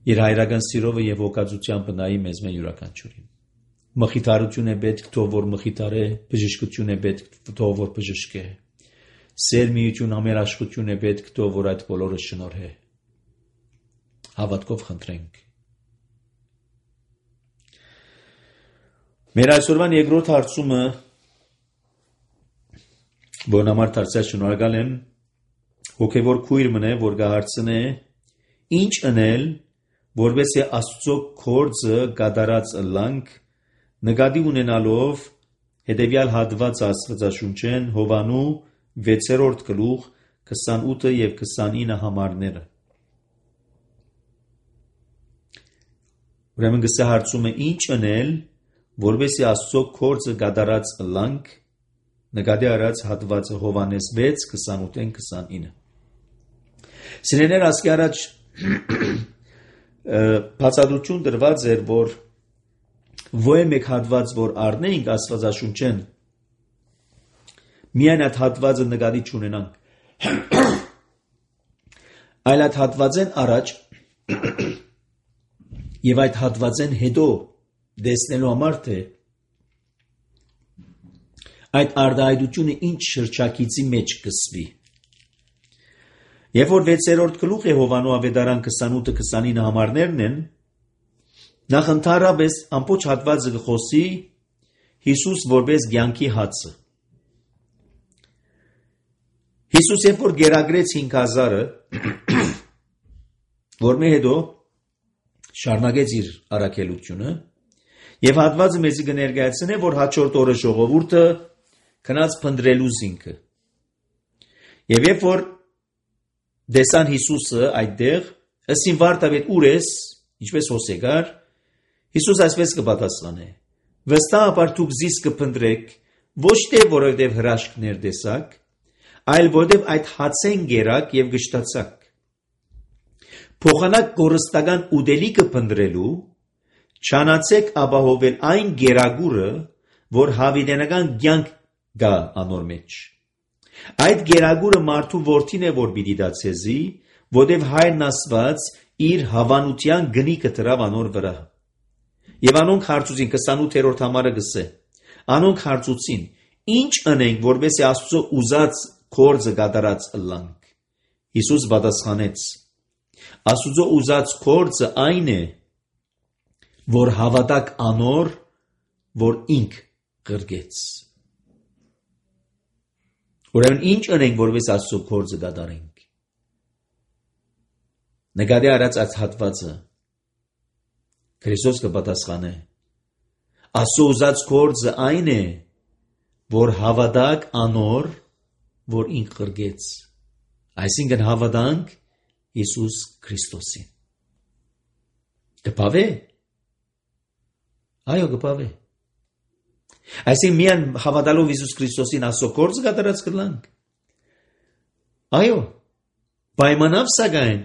իր հայրական սիրովը եւ օգածությամբ նայի մեզ յուրաքանչյուրին։ Մխիթարություն է պետք, թող որ մխիթարե, բժշկություն է պետք, թող որ բժշկե։ Սեր միություն ամերաշխություն է պետք, թող որ այդ բոլորը շնորհե։ Հավատքով խնդրենք։ Մեր այսօրվան երկրորդ հարցումը, որն համար դարձյալ շնորհակալ եմ, հոգևոր քույր մնե, որ կհարցնե ինչ անել, որպեսզի Աստծո գործը կատարած ըլլանք, նկատի ունենալով հետևյալ հատված Աստվածաշունչեն Հովանու 6-րդ գլուխ 28 եւ 29 համարները։ Ուրեմն գսե հարցումը ինչ անել, որպեսզի Աստծո գործը կատարած ըլլանք, նկատի առած հատվածը Հովանես 6:28-29։ Սիրելիներ, ասկի առաջ բացատրություն դրված էր, որ ոչ մեկ հատված, որ առնենք Աստվածաշունչեն, միայն այդ հատվածը նկատի չունենանք, այլ այդ հատվածեն առաջ եւ այդ հատվածեն հետո դեսնելու համար, թե այդ արտահայտությունը ինչ շրջակիցի մեջ կսվի։ Երբ որ 6-րդ գլուխ է Հովանու ավետարան 28-29 համարներն են, նախ ընդհանրապես ամբողջ հատվածը կխոսի Հիսուս որպես կյանքի հացը։ Հիսուս երբ որ գերագրեց 5000-ը, որմե հետո շարունակեց իր առաքելությունը, եւ հատվածը մեզի կներկայացնե, որ հաջորդ օրը ժողովուրդը քնած փնտրելու զինքը։ Եվ երբ որ դեսան Հիսուսը այդտեղ, ըսին վարտավետ ուր ես, ինչպես հոսեկար, Հիսուս այսպես կպատասխանե. վստահաբար դուք զիս կփնտրեք, ոչ թե որովհետև հրաշքներ տեսաք, այլ որովհետև այդ հացեն գերակ եւ գշտացաք։ Փոխանակ կորստական ուդելիքը փնտրելու, չանացեք ապահովել այն գերագուրը, որ հավիտենական կյանք գա անոր մեջ։ Այդ գերագուրը մարդու որդին է, որ պիտի դա ցեզի, որտև հայրն ասված իր հավանության գնիկը դրավ անոր վրա։ Եվ անոնք հարցուցին 28-րդ համարը գսե։ Անոնք հարցուցին. ինչ անենք, որպեսզի Աստծո ուզած գործը կատարած ըլլանք։ Հիսուս պատասխանեց. Աստծո ուզած գործը այն է, որ հավատակ անոր, որ ինք գրգեց։ Ուրեմն ինչ անենք, որպես Աստծո գործը կատարենք։ Նկատի առած այս հատվածը Քրիստոս կպատասխանե. Աստծո ուզած գործը այն է, որ հավատակ անոր, որ ինք գրգեց։ Այսինքն հավատանք Հիսուս Քրիստոսին։ Կպավե։ Այո, կպավե։ Այսինքն միան հավատալով Հիսուս Քրիստոսին Աստծո գործը կատարած կլանք։ Այո, պայմանավ սակայն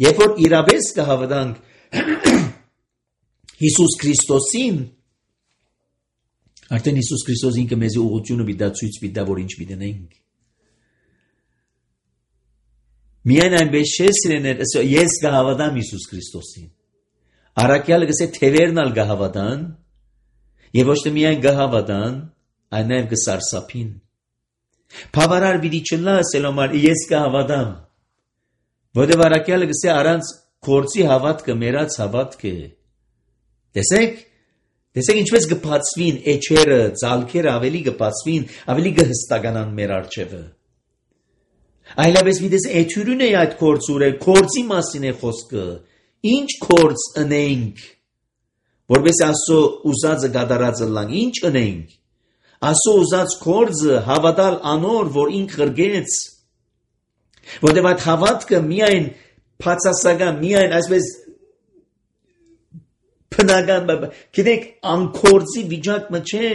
Երբ որ իրապես կհավատանք Հիսուս Քրիստոսին, արդեն Հիսուս Քրիստոս ինքը մեզ ուղղությունը պիտի ցույց տա, որ ինչ պիտի անենք։ Միայն այնպես չէ, սիրեներ, ես կհավատամ Հիսուս Քրիստոսին։ Առաքյալը գսե թևերնալ կհավատան, եւ ոչ թե միայն կհավատան, այլ նաեւ կսարսափին։ Բավարար պիտի չլա ասելոմար ես կհավատամ։ Որտեղ առաքյալը գսե առանց կորցի հավատքը մերած հավատք է։ Տեսեք ինչպես կբացվին էջերը, ցալքերը ավելի կբացվին, ավելի կհստականան մեր արջևը։ Այլապես մի դες էթյուրին է այդ կորցուրը, կորցի մասին է խոսքը։ Ինչ կորց ընենք, որպես ասո ուզածը գադարածը լան, ինչ ընենք։ Ասո ուզած կորձը հավատալ անոր, որ ինք խրգեց, որտև այդ հավատքը միայն պացասական, միայն այսպես պնական, գիտեք անկորձի վիճակը չէ։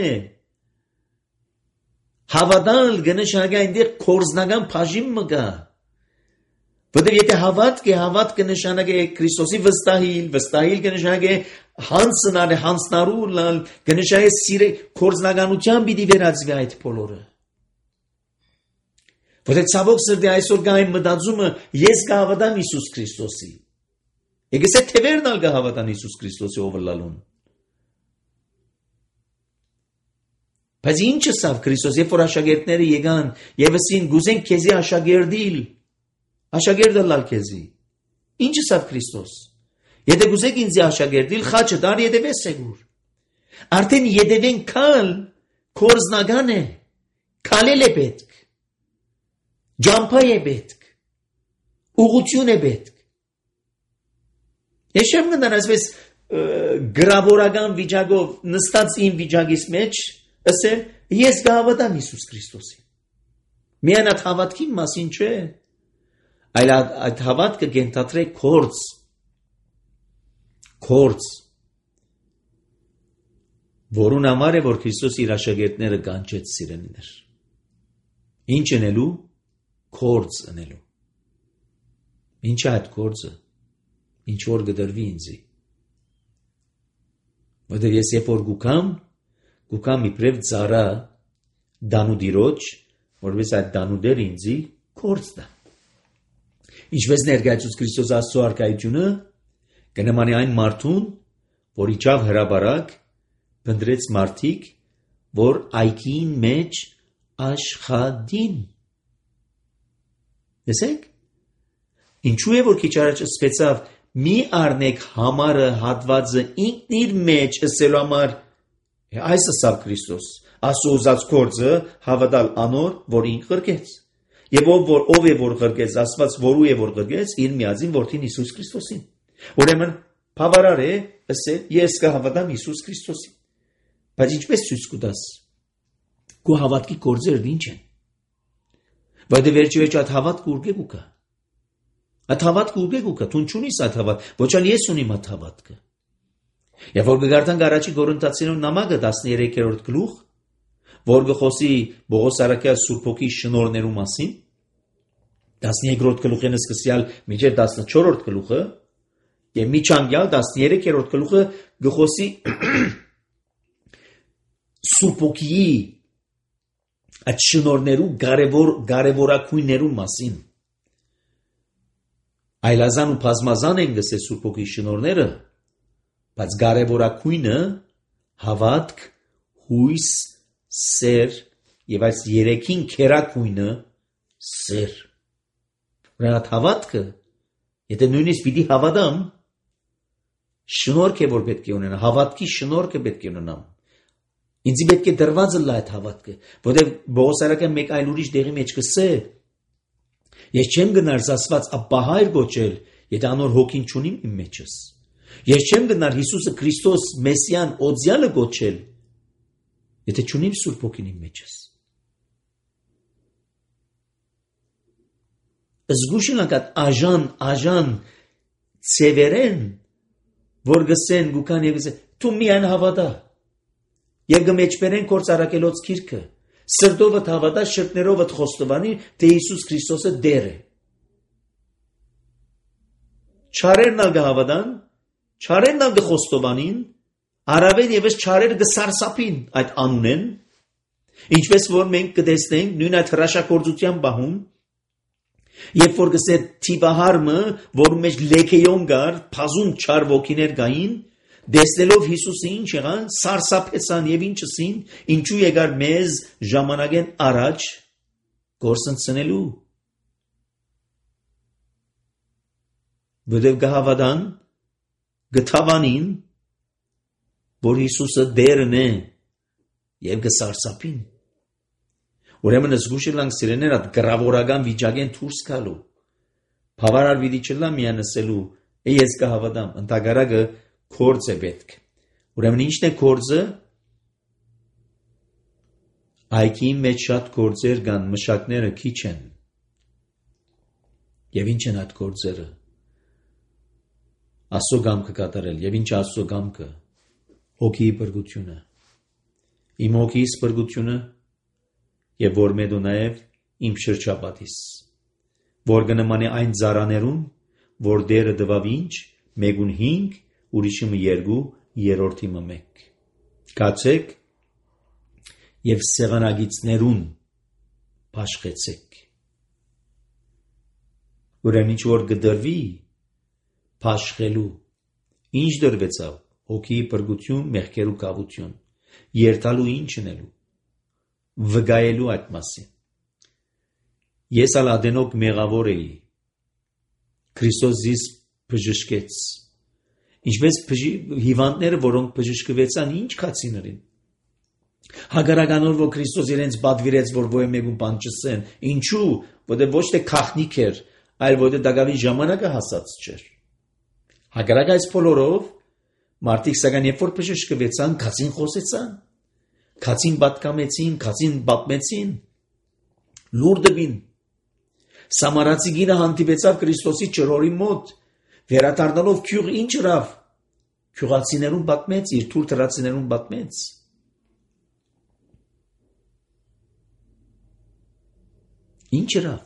Հավատալ գնշագա այնտեղ կորձնական բաժին մգա։ Որտև եթե հավատքը նշանակե Քրիստոսի վստահիլ կնշանակե հանցնալ, հանցնարու կնշանակե սիրե կորձնականության պիտի վերածվի այդ բոլորը։ Որտև ցավոք սրտի այսօր կա այն մտածումը ես կհավատամ Հիսուս Քրիստոսի։ Եկես է թևերնալ կհավատան Հիսուս Քրիստոսի ով լալուն։ Բայց ինչը սավ Քրիստոս, երբ որ աշակերտները եկան եւ ասին գուզենք քեզի աշակերտը լալ քեզի։ Ինչը սավ Քրիստոս։ Եթե գուզեք ինձ աշակերտիլ, խաչը դար յետևես սեգուր։ Արդեն յետևեն կալ կորզնական է, կալել է պետք, ջամփա է պետք, ուղղություն է պետք։ Ես չեմ գնար այսպես գրավորական վիճակով նստած իմ վիճակից մեջ ասել ես կհավատամ Հիսուս Քրիստոսին։ Միայն այդ հավատքի մասին չէ, այլ այդ հավատքը կենթադրե կորց, որուն համար է, որ Քրիստոս իր աշակերտները կանչեց սիրելիներ։ Ինչ ընելու, կորց ընելու։ Ինչ է այդ կորձը, ինչ որ գդրվի ինձի։ Որտեղ ես երբ որ գուկամ իբրև ծառա դանուդիրոջ, որպես այդ դանուդերը ինձի կորց դա։ Ինչպես ներկայացուց Քրիստոս Աստծո արքայությունը կնմանի այն մարդուն, որ իջավ հրաբարակ, փնտրեց մարդիկ, որ այգին մեջ աշխատին։ Տեսեք, ինչու է որ քիչ առաջ ասվեցավ մի առնեք համարը հատվածը ինքն իր մեջ ասելու համար այս ասավ Քրիստոս, ասո ուզած կորձը հավատալ անոր, որ ինք ղրկեց։ Եվ ով է որ ղրկեց, ասված որու է որ ղրկեց, իր միածին որդին Հիսուս Քրիստոսին։ Ուրեմն բավարար է ասել ես կհավատամ Հիսուս Քրիստոսին։ Բայց ինչպես ցույց կտաս։ Քո հավատքի կորձերն ինչ են։ Բայց վերջի այդ հավատքը ուր գուկա։ Այդ հավատքը ուր գուկա, դու չունիս այդ հավատ, ոչ էլ ես ունիմ այդ հավատքը։ Եվ որ գարտանք առաջի Կորինթացիներուն նամակը 13-րդ գլուխ, որ գխոսի Պողոս Արաքյալ Սուրբ Հոգի շնորհներու մասին, 13-րդ գլուխին սկսյալ մինչև 14-րդ գլուխը, եւ միջանկյալ 13-րդ գլուխը գխոսի Սուրբ Հոգիի այդ շնորհներու կարևորակույններու մասին։ Այլազան ու բազմազան են գսե Սուրբ Հոգի շնորհները, բայց կարևորակույնը հավատք, հույս, սեր եւ այս երեքին քերակույնը սեր։ Ուրեմն հավատքը, եթե նույնիսկ պիտի հավատամ, շնորհք է որ պետք է ունենա, հավատքի շնորհքը պետք է ունենամ։ Ինձ պետք է դրված լա այդ հավատքը, որտեղ Պողոս Արաքյալը մեկ այլ ուրիշ դեղի մեջ կսե։ Ես չեմ գնար Աստված ապահայր գոչել, եթե անոր հոգին չունիմ իմ մեջս։ Ես չեմ գնար Հիսուսը Քրիստոս Մեսիան օձյալը գոչել, եթե չունիմ Սուրբ Հոգին իմ մեջս։ Զգուշինակ աժան ծևերեն, որ գսեն գուկան եւ գսեն, դու միայն հավատա։ Եվ գմեջբերեն կորցարակելոց քիրքը, սրտովդ հավատա, շրտներովդ խոստովանի, թե Հիսուս Քրիստոսը դեր է։ չարերն ալ գահավադան, չարերն ալ գխոստովանին, առավել եւս չարերը գսարսափին այդ անունեն, ինչպես որ մենք կտեսնենք նույն այդ հրաշագործության բահում, երբ որ գսե թիվահարմը, որ մեջ լեքեյոն գար, փազուն չար ոգիներ գային, դեսնելով Հիսուսը ինչ եղան, սարսափեցան եւ ինչսին, ինչու եկար մեզ ժամանակեն առաջ գործընծնելու։ Որտեղ գահավադան գթավանին, որ Հիսուսը դերն է եւ գսարսափին։ Ուրեմն զգուշելանք սիրեներ այդ գրավորական վիճակեն դուրս գալու։ Բավարար վիդի չլա միան ասելու, ես կհավատամ, ընդհանրակը կորձ է պետք։ Ուրեմն ինչն է կորձը։ Այքի մեջ շատ կորձեր կան, մշակները քիչ են։ Եվ ինչ են այդ կորձերը։ Աստծո կամքը կատարել, եւ ինչ Աստծո կամքը։ Հոգիի բրգությունը։ Իմ հոգիս բրգությունը եւ որ մեդու նաեւ իմ շրջապատիս, որ կնմանի այն ծառաներուն, որ դերը դվավ ինչ, մեկուն 5, ուրիշը 2, երրորդի 1։ Կացեք եւ սեղանագիծներուն փաշխեցեք։ Ուրեմն ինչ որ գդրվի փաշխելու, ինչ դրվեցավ, հոգիի բրգություն, մեղքերու կավություն, երթալու ինչն էլու, վգայելու այդ մասին։ Ես ալ ադենոք մեղավոր էի, Քրիստոս զիս բժշկեց, ինչպես հիվանդները, որոնք բժշկվեցան, ինչ կացիներին։ Հագարականով, որ Քրիստոս իրենց բադվիրեց, որ ոյ մեկուն բան չսեն, ինչու, որտեղ ոչ թե քախնիկ էր, այլ որտեղ դակավին ժամանակը հասած չէր։ Հագարակ այս բոլորով, մարդիկ սակայն երբ որ բժշկվեցան, քացին խոսեցան, քացին պատկամեցին, քացին պատմեցին, լուր դվին։ Սամարացի գինը հանդիպեցավ Քրիստոսի ճրորի մոտ, վերադառնալով քյուղ ինչ ըրավ, քյուղացիներուն պատմեց, իր թուր թրացիներուն պատմեց։ Ինչ ըրավ,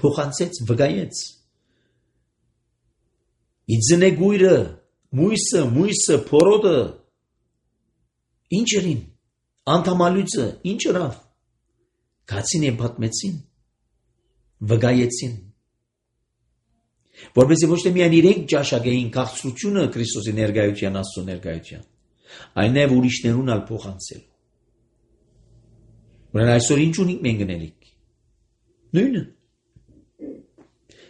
փոխանցեց, վգայեց։ Իձնե գույրը, մույսը, փորոդը, ինչ ըրին, անդամալույցը, ինչ ըրավ, քացին են պատմեցին, վգայեցին, որպեսզի ոչ թե միայն իրենք ճաշակեին քաղցրությունը Քրիստոսի ներկայության, Աստծո ներկայության, այլ նաև ուրիշներուն ալ փոխանցել։ Ուրեմն այսօր ինչ ունենք մենք գնելիք։ Նույնը։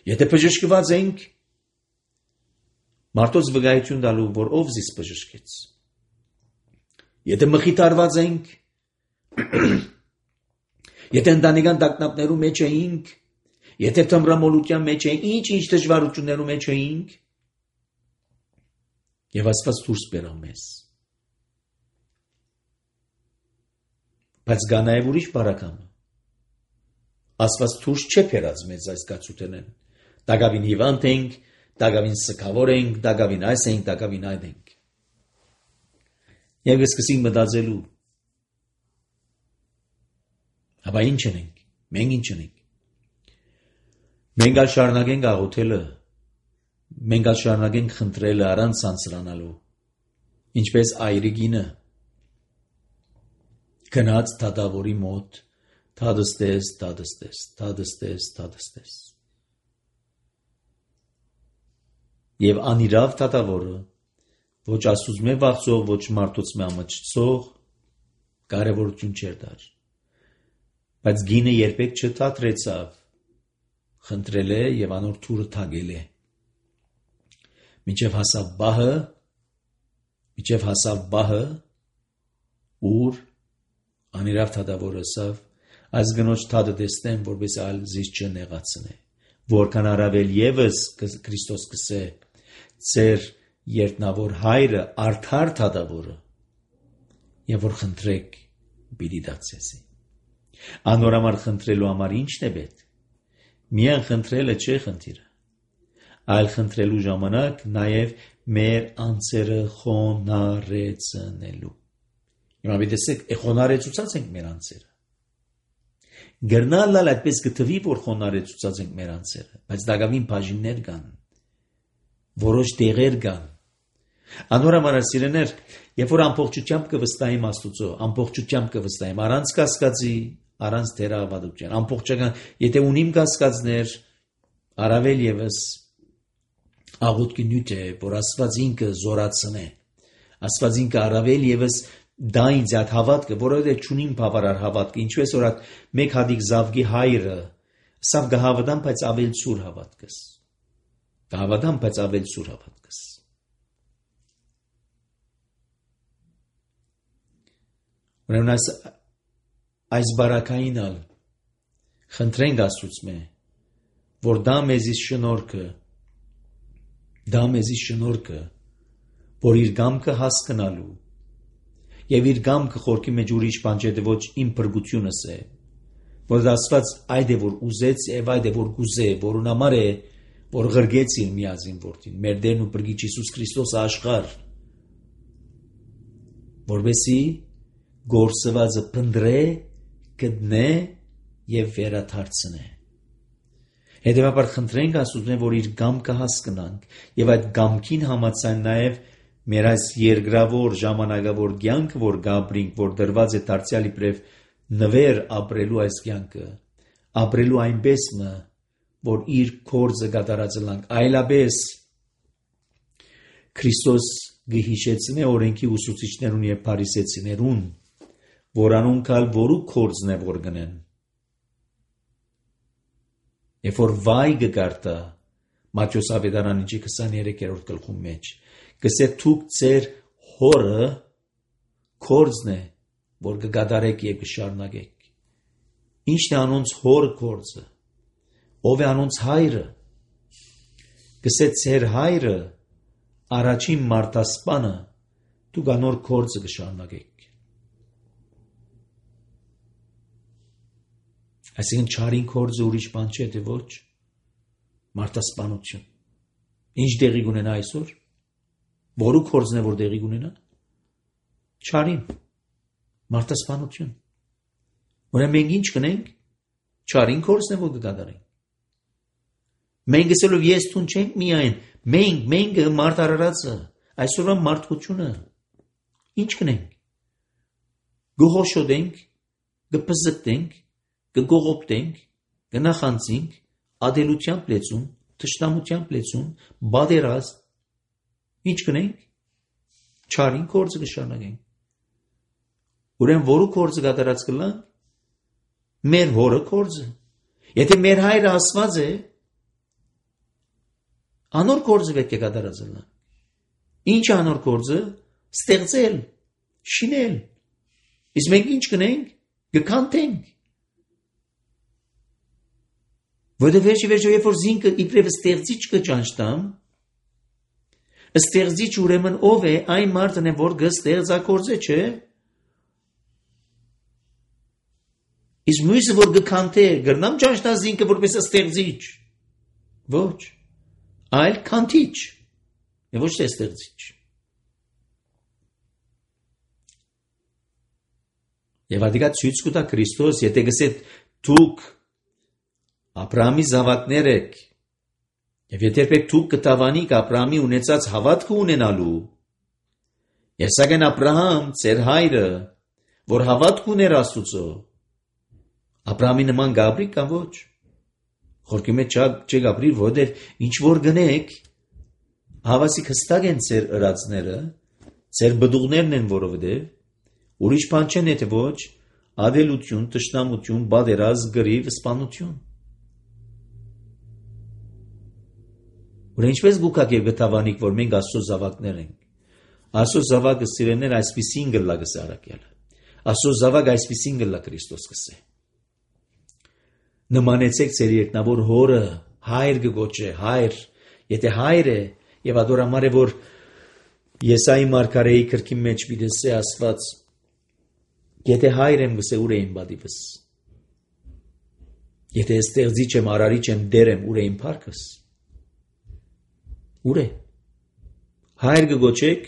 Եթե բժշկված ենք, մարդոց վգայություն տալու, որ ով զիս բժշկեց։ Եթե մխիթարված ենք, եթե ընտանեկան տագնապներու մեջ էինք, եթե թմրամոլության մեջ էինք, ինչ դժվարություններու մեջ էինք, եւ Աստված դուրս բերավ մեզ։ Բայց կա նաեւ ուրիշ բարակամ։ Աստված դուրս չէ բերած մեզ այս կացութենեն։ Դակավին հիվանդ ենք, դակավին սքավոր ենք, դակավին այս ենք, դակավին այդ ենք։ Եվ սկսենք մտածելու։ Ապա ինչ ենք։ Մենք ինչ ենք։ Մենք ալ շարունակենք աղոթելը, մենք ալ շարունակենք խնդրելը առանց ցանցրանալու, ինչպես այրիկինը գնաց դատավորի մոտ, թադստես։ Եվ անիրավ դատավորը, ոչ Աստծուց մե վախցող, ոչ մարդուց մե ամաչցող, կարևորություն չէր դար։ Բայց գինը երբեք չթատրեցավ, խնդրել է եւ անոր թուրը թագել է։ Մինչև հասավ բահը, ուր անիրավ դատավորը ասավ, այս գնոջ թադը տեսնեմ, որպես այլ զիս չնեղացնե, որքան առավել եւս Քրիստոս կսե, ծեր երտնավոր հայրը արդար դատավորը, եւ որ խնդրեք պիտի դարձեսի։ Անոր համար խնդրելու համար ինչն է պետք։ Միայն խնդրելը չէ խնդիրը, այլ խնդրելու ժամանակ նաև մեր անձերը խոնարեցնելու։ Հիմա դեսեք, խոնարեցուցած ենք մեր անձերը։ Գրնալալ այդպես գտվի, որ խոնարեցուցած ենք մեր անձերը, բայց դակավին բաժիններ կան, որոշ դեղեր կան։ Անորամար սիրեներ, երբ որ ամբողջությամբ կվստահեմ Աստուծո, ամբողջությամբ կվստահեմ, առանց կասկածի, առանց թերահավատության, ամբողջական, եթե ունիմ կասկածներ, առավել եւս աղոթքի նյութ է, որ Աստված ինքը զորացնե, Աստված ինքը առավել եւս դա ինձ այդ հավատքը, որովհետեւ չունիմ բավարար հավատքը, ինչպես որ մեկ հատիկ զավգի հայրը, սավ գահավատամ, բայց ավել սուր հավատքս, գահավատամ, բայց ավել սուր հավատքս։ Ուրեմն այս բարակային ալ խնդրենք Աստծուց որ դա մեզի շնորհքը, որ իր գամքը հասկանալու եւ իր գամքը խորքի մեջ ուրիշ բան չէ, ոչ իմ փրկությունս է, որ Աստված այդ է որ ուզեց եւ այդ է որ գուզե, որուն համար է որ ղրգեց իր միածին որդին, մեր Տերն ու Փրկիչ Հիսուս Քրիստոսը աշխարհ, որովհետեւ գործվածը փնտրե, գտնե եւ վերադարձնե։ Հետևաբար խնդրենք Աստծուն, որ իր գամքը հասկանանք եւ այդ գամքին համաձայն նաեւ մեր այս երկրավոր ժամանակավոր կյանքը, որ գաբրինք, որ դրված է դարձյալ իբրև նվեր ապրելու այս կյանքը, ապրելու այնպես որ իր կորձը կատարածելանք, այլապես Քրիստոս գհիշեցնե օրենքի ուսուցիչներուն եւ փարիսեցիներուն, որանոնք ալ որու կորձն է որ գնեն։ Երբ որ վայ գարտա Մատթեոս ավետարանի 23-րդ գլխում մեջ գսե թուք ձեր հորը կորձն է որ կգադարեք եւ կշարունակեք։ Ինչն է անոնց հորը կորձը, ով է անոնց հայրը, գսե ձեր հայրը առաջին մարտասպանը, դուք անոր կորձը կշարունակեք։ Այսինքն չարին կորձը ուրիշ բան չէ, թե ոչ մարտասպանություն։ Ինչ դեղի կունենա այսօր, որու կորձն է որ դեղի կունենա, չարին, մարտասպանություն։ Ուրեմն մենք ինչ կնենք, չարին կորձն է որ կկատարենք։ Մենք ասելով ես տուն չենք միայն, մենք մարդ արարածը, այսօրվա մարդկությունը, ինչ կնենք, գողոշոտենք, գպզկտենք, կգողոպտենք, կնախանցինք, ադելությամբ լեցուն, թշնամությամբ լեցուն, բادرազմ, ինչ կնենք, չարին կորձը կշարունակենք։ Ուրեմն որու կորձը կատարած կլանք, մեր հորը կորձը։ Եթե մեր հայրը Աստված է, անոր կորձը պետք է կատարած լանք։ Ինչ անոր կորձը, ստեղծել, շինել։ Իսկ մենք ինչ կնենք, կքանթենք։ Որովհետև վերջի երբ որ զինքը իբրև ստեղծիչ կճանչտամ, ստեղծիչ ուրեմն ով է, այն մարդն է, որ կստեղծագործե, չէ։ Իսկ մյուսը որ կքանթե, գրնամ ճանչտա զինքը որպես ստեղծիչ։ Ոչ, այլ քանթիչ, եւ ոչ թե ստեղծիչ։ Եվ ադիգա ցույց կտա Քրիստոս, եթե գսե դուք Աբրահամի զավակներ եք, եւ եթե դուք կտավանիք Աբրահամի ունեցած հավատքը ունենալու, եւ սակայն Աբրահամ, ձեր հայրը, որ հավատք ուներ Աստուծո, Աբրահամի նման գաբրի կամ ոչ, խորքի մեջ չգաբրի, որովհետեւ ինչ որ գնեք, հավասիկ հստակ են ձեր ըրածները, ձեր բդուղներն են, որովհետեւ ուրիշ բան չեն, եթե ոչ ադելություն, թշնամություն, բادرազմ, գրիվ, սպանություն։ Ուրեմն ինչպես գուքակ եւ գտավանիկ, որ մենք Աստծո զավակներ ենք։ Աստծո զավակը սիրելիներ այսպիսին գլա գսե արակելը։ Աստծո զավակ այսպիսին գլա Քրիստոս գսե։ Նմանեցեք ձեր երկնավոր հորը, հայր գոչե, հայր, եթե հայր է եւ ադորամար է, որ Եսայի մարգարեի քրքի մեջ բիդեսե Աստված, եթե հայր եմ գսե ուր է իմ բադիվս։ Եթե ստեղծիչ եմ, արարիչ եմ, դեր եմ, ուր է իմ փառքս։ Ուր է։ Հայր գոչեք,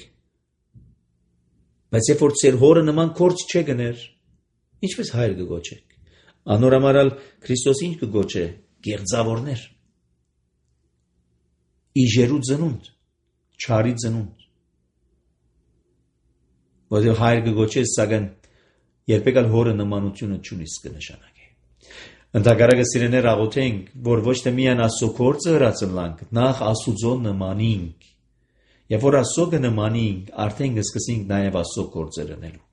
բայց երբ որ ձեր հորը նման կորձ չէ գներ, ինչպես հայր գոչեք։ Անորամարալ Քրիստոս ինչ կգոչե, գեղձավորներ։ Իժերու ծնունդ, չարի ծնունդ։ Որտեղ հայր կգոչես, սակայն երբեք ալ հորը նմանությունը չունիս կնշանակի։ Ընդհակառակը սիրեներ աղոթենք, որ ոչ թե միայն Աստծո գործը հրացնլանք, նախ Աստուծո նմանինք։ Եվ որ Աստծո կնմանինք, արդեն կսկսենք նաև Աստծո գործեր անելու։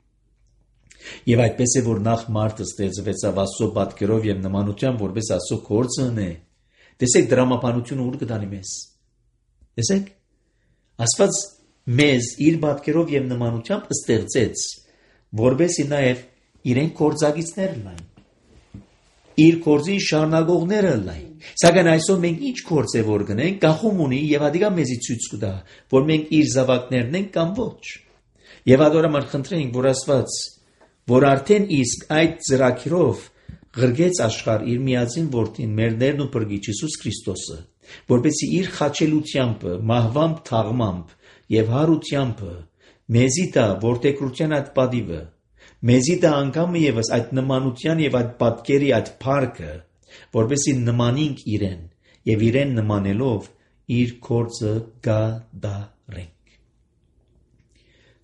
Եվ այդպես է, որ նախ մարդը ստեղծվեցավ Աստծո պատկերով եւ նմանությամբ, որպես Աստծո գործը ունե։ Տեսեք դրամապանությունը ուր կտանի մեզ։ Տեսեք, Աստված մեզ իր պատկերով եւ նմանությամբ ստեղծեց, որպեսզի նաև իրեն գործակիցներ լայն, իր գործին շարունակողները լայն։ Սակայն այսօր մենք ինչ գործ է որ գնենք, գախում ունի եւ ադիգա մեզի ցույց կտա, որ մենք իր զավակներն ենք կամ ոչ։ Եվ ադորամար խնդրենք, որ Աստված, որ արդեն իսկ այդ ծրագիրով գրգեց աշխարհ իր միածին որդին, մեր Տերն ու Փրկիչ Հիսուս Քրիստոսը, որպեսզի իր խաչելությամբ, մահվամբ, թաղմամբ եւ հարությամբ մեզի տա որդեկրության այդ պատիվը, մեզի տա անգամը եւս այդ նմանության եւ այդ պատկերի այդ փառքը, որպեսզի նմանինք իրեն եւ իրեն նմանելով իր գործը գադարենք։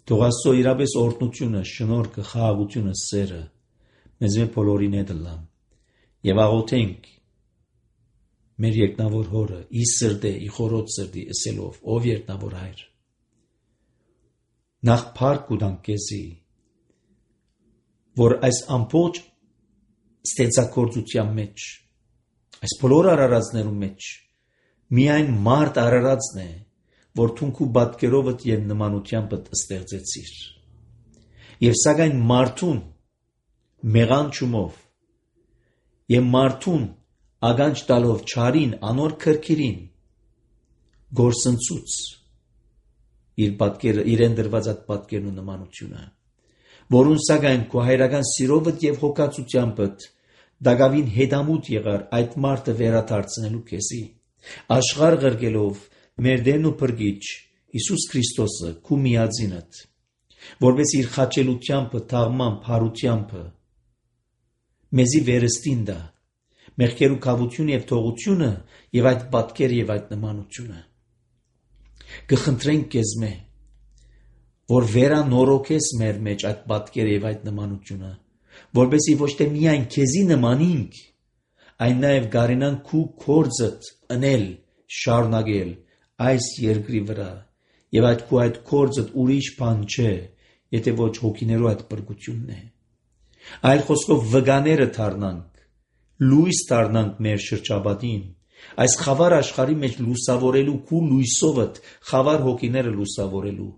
Թող Աստծո իրապես օրհնությունը, շնորհքը, խաղաղությունը, սերը մեզ բոլորին հետ լան եւ աղոթենք մեր երկնավոր հորը ի սրտե, ի խորոց սրտի ըսելով, ով երկնավոր հայր, նախ փառք կտանք քեզի, որ այս ամբողջ ստեղծագործության մեջ, այս բոլոր արարածներու մեջ միայն մարդ արարածն է, որ թունքու պատկերովդ եւ նմանությամբ ստեղծեցիր։ Եվ սակայն մարդուն մեղանչումով եւ մարդուն ագանջ տալով չարին, անոր քրքիրին գործընծուց իր պատկերը, իրեն դրված այդ պատկերն ու նմանությունը, որուն սակայն քո հայրական սիրովդ եւ հոգացությամբդ դակավին հետամուտ եղար այդ մարդը վերադարձնելու քեզի, աշխարհ ղրկելով մեր Տերն ու Փրկիչ Հիսուս Քրիստոսը քու միածինդ, որպես իր խաչելությամբ, թաղմամբ, հարությամբ մեզի վերստին դա, մեղքերու կավություն եւ թողությունը եւ այդ պատկերը եւ այդ նմանությունը։ Կխնդրենք քեզ մե, որ վերանորոգես մեր մեջ այդ պատկերը եւ այդ նմանությունը, որպեսզի ոչ թե միայն քեզի նմանինք, այն նաև գարենան քու կորձդ ընել, շարունակել այս երկրի վրա, եւ այդ քու այդ կորձդ ուրիշ բան չէ, եթե ոչ հոգիներու այդ բրգությունն է։ Այլ խոսքով վգաները դառնանք, լույս դառնանք մեր շրջապատին, այս խավար աշխարհի մեջ լուսավորելու քու լույսովդ խավար հոգիները լուսավորելու,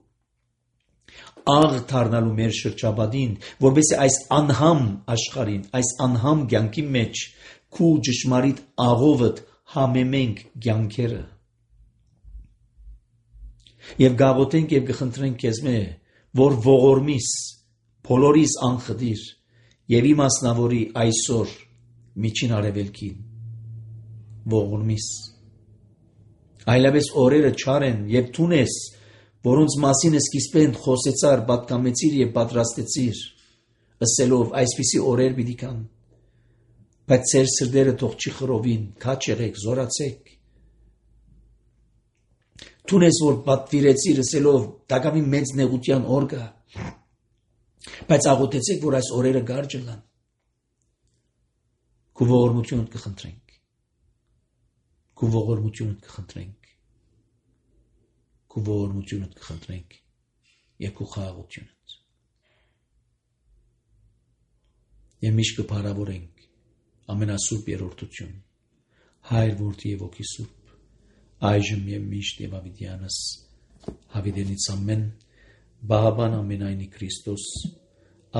աղ դառնալու մեր շրջապատին, որպեսզի այս անհամ աշխարհին, այս անհամ կյանքի մեջ քու ճշմարիտ աղովդ համեմենք կյանքերը։ Եվ գաղութենք եւ կխնդրենք քեզ մե, որ ողորմիս, բոլորիս անխդիր եւ իմասնավորի այսօր միջին արևելքին ողորմիս։ Այլապես օրերը չար են եւ թունես, որոնց մասին սկիզբեն խոսեցար, պատկամեցիր եւ պատրաստեցիր, ըսելով այսպիսի օրեր պիտի կան, բայց ձեր սրտերը թող չի խռովին, քաչ եղեք, զորացեք։ Թունես, որ պատվիրեցիր ըսելով, դակամի մեծ նեղության օր կա, բայց աղոթեցեք, որ այս օրերը գարջ լան։ Քու ողորմությունդ կխնդրենք, քու ողորմությունդ կխնդրենք, քու ողորմությունդ կխնդրենք եւ քու խաղաղությունդ։ Եվ միշտ կփարավորենք ամենասուրբ երրորդություն, Հայր, Որդի եւ Հոգի Սուրբ, այժմ եւ միշտ եւ ավիդյանս հավիդենից ամեն բահաբան ամենայնի Քրիստոս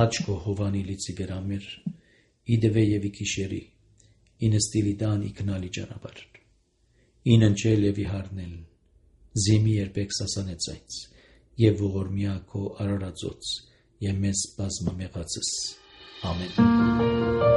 աչքո հովանի լիցի վերամեր իդվե եւ իքիշերի ինստիլի դան իքնալի ճանապարհ ինընչել եւ իհարնել զիմի երբեք սասանեցայց եւ ողորմիա քո արարածոց եւ մեզ բազմամեղացս ամեն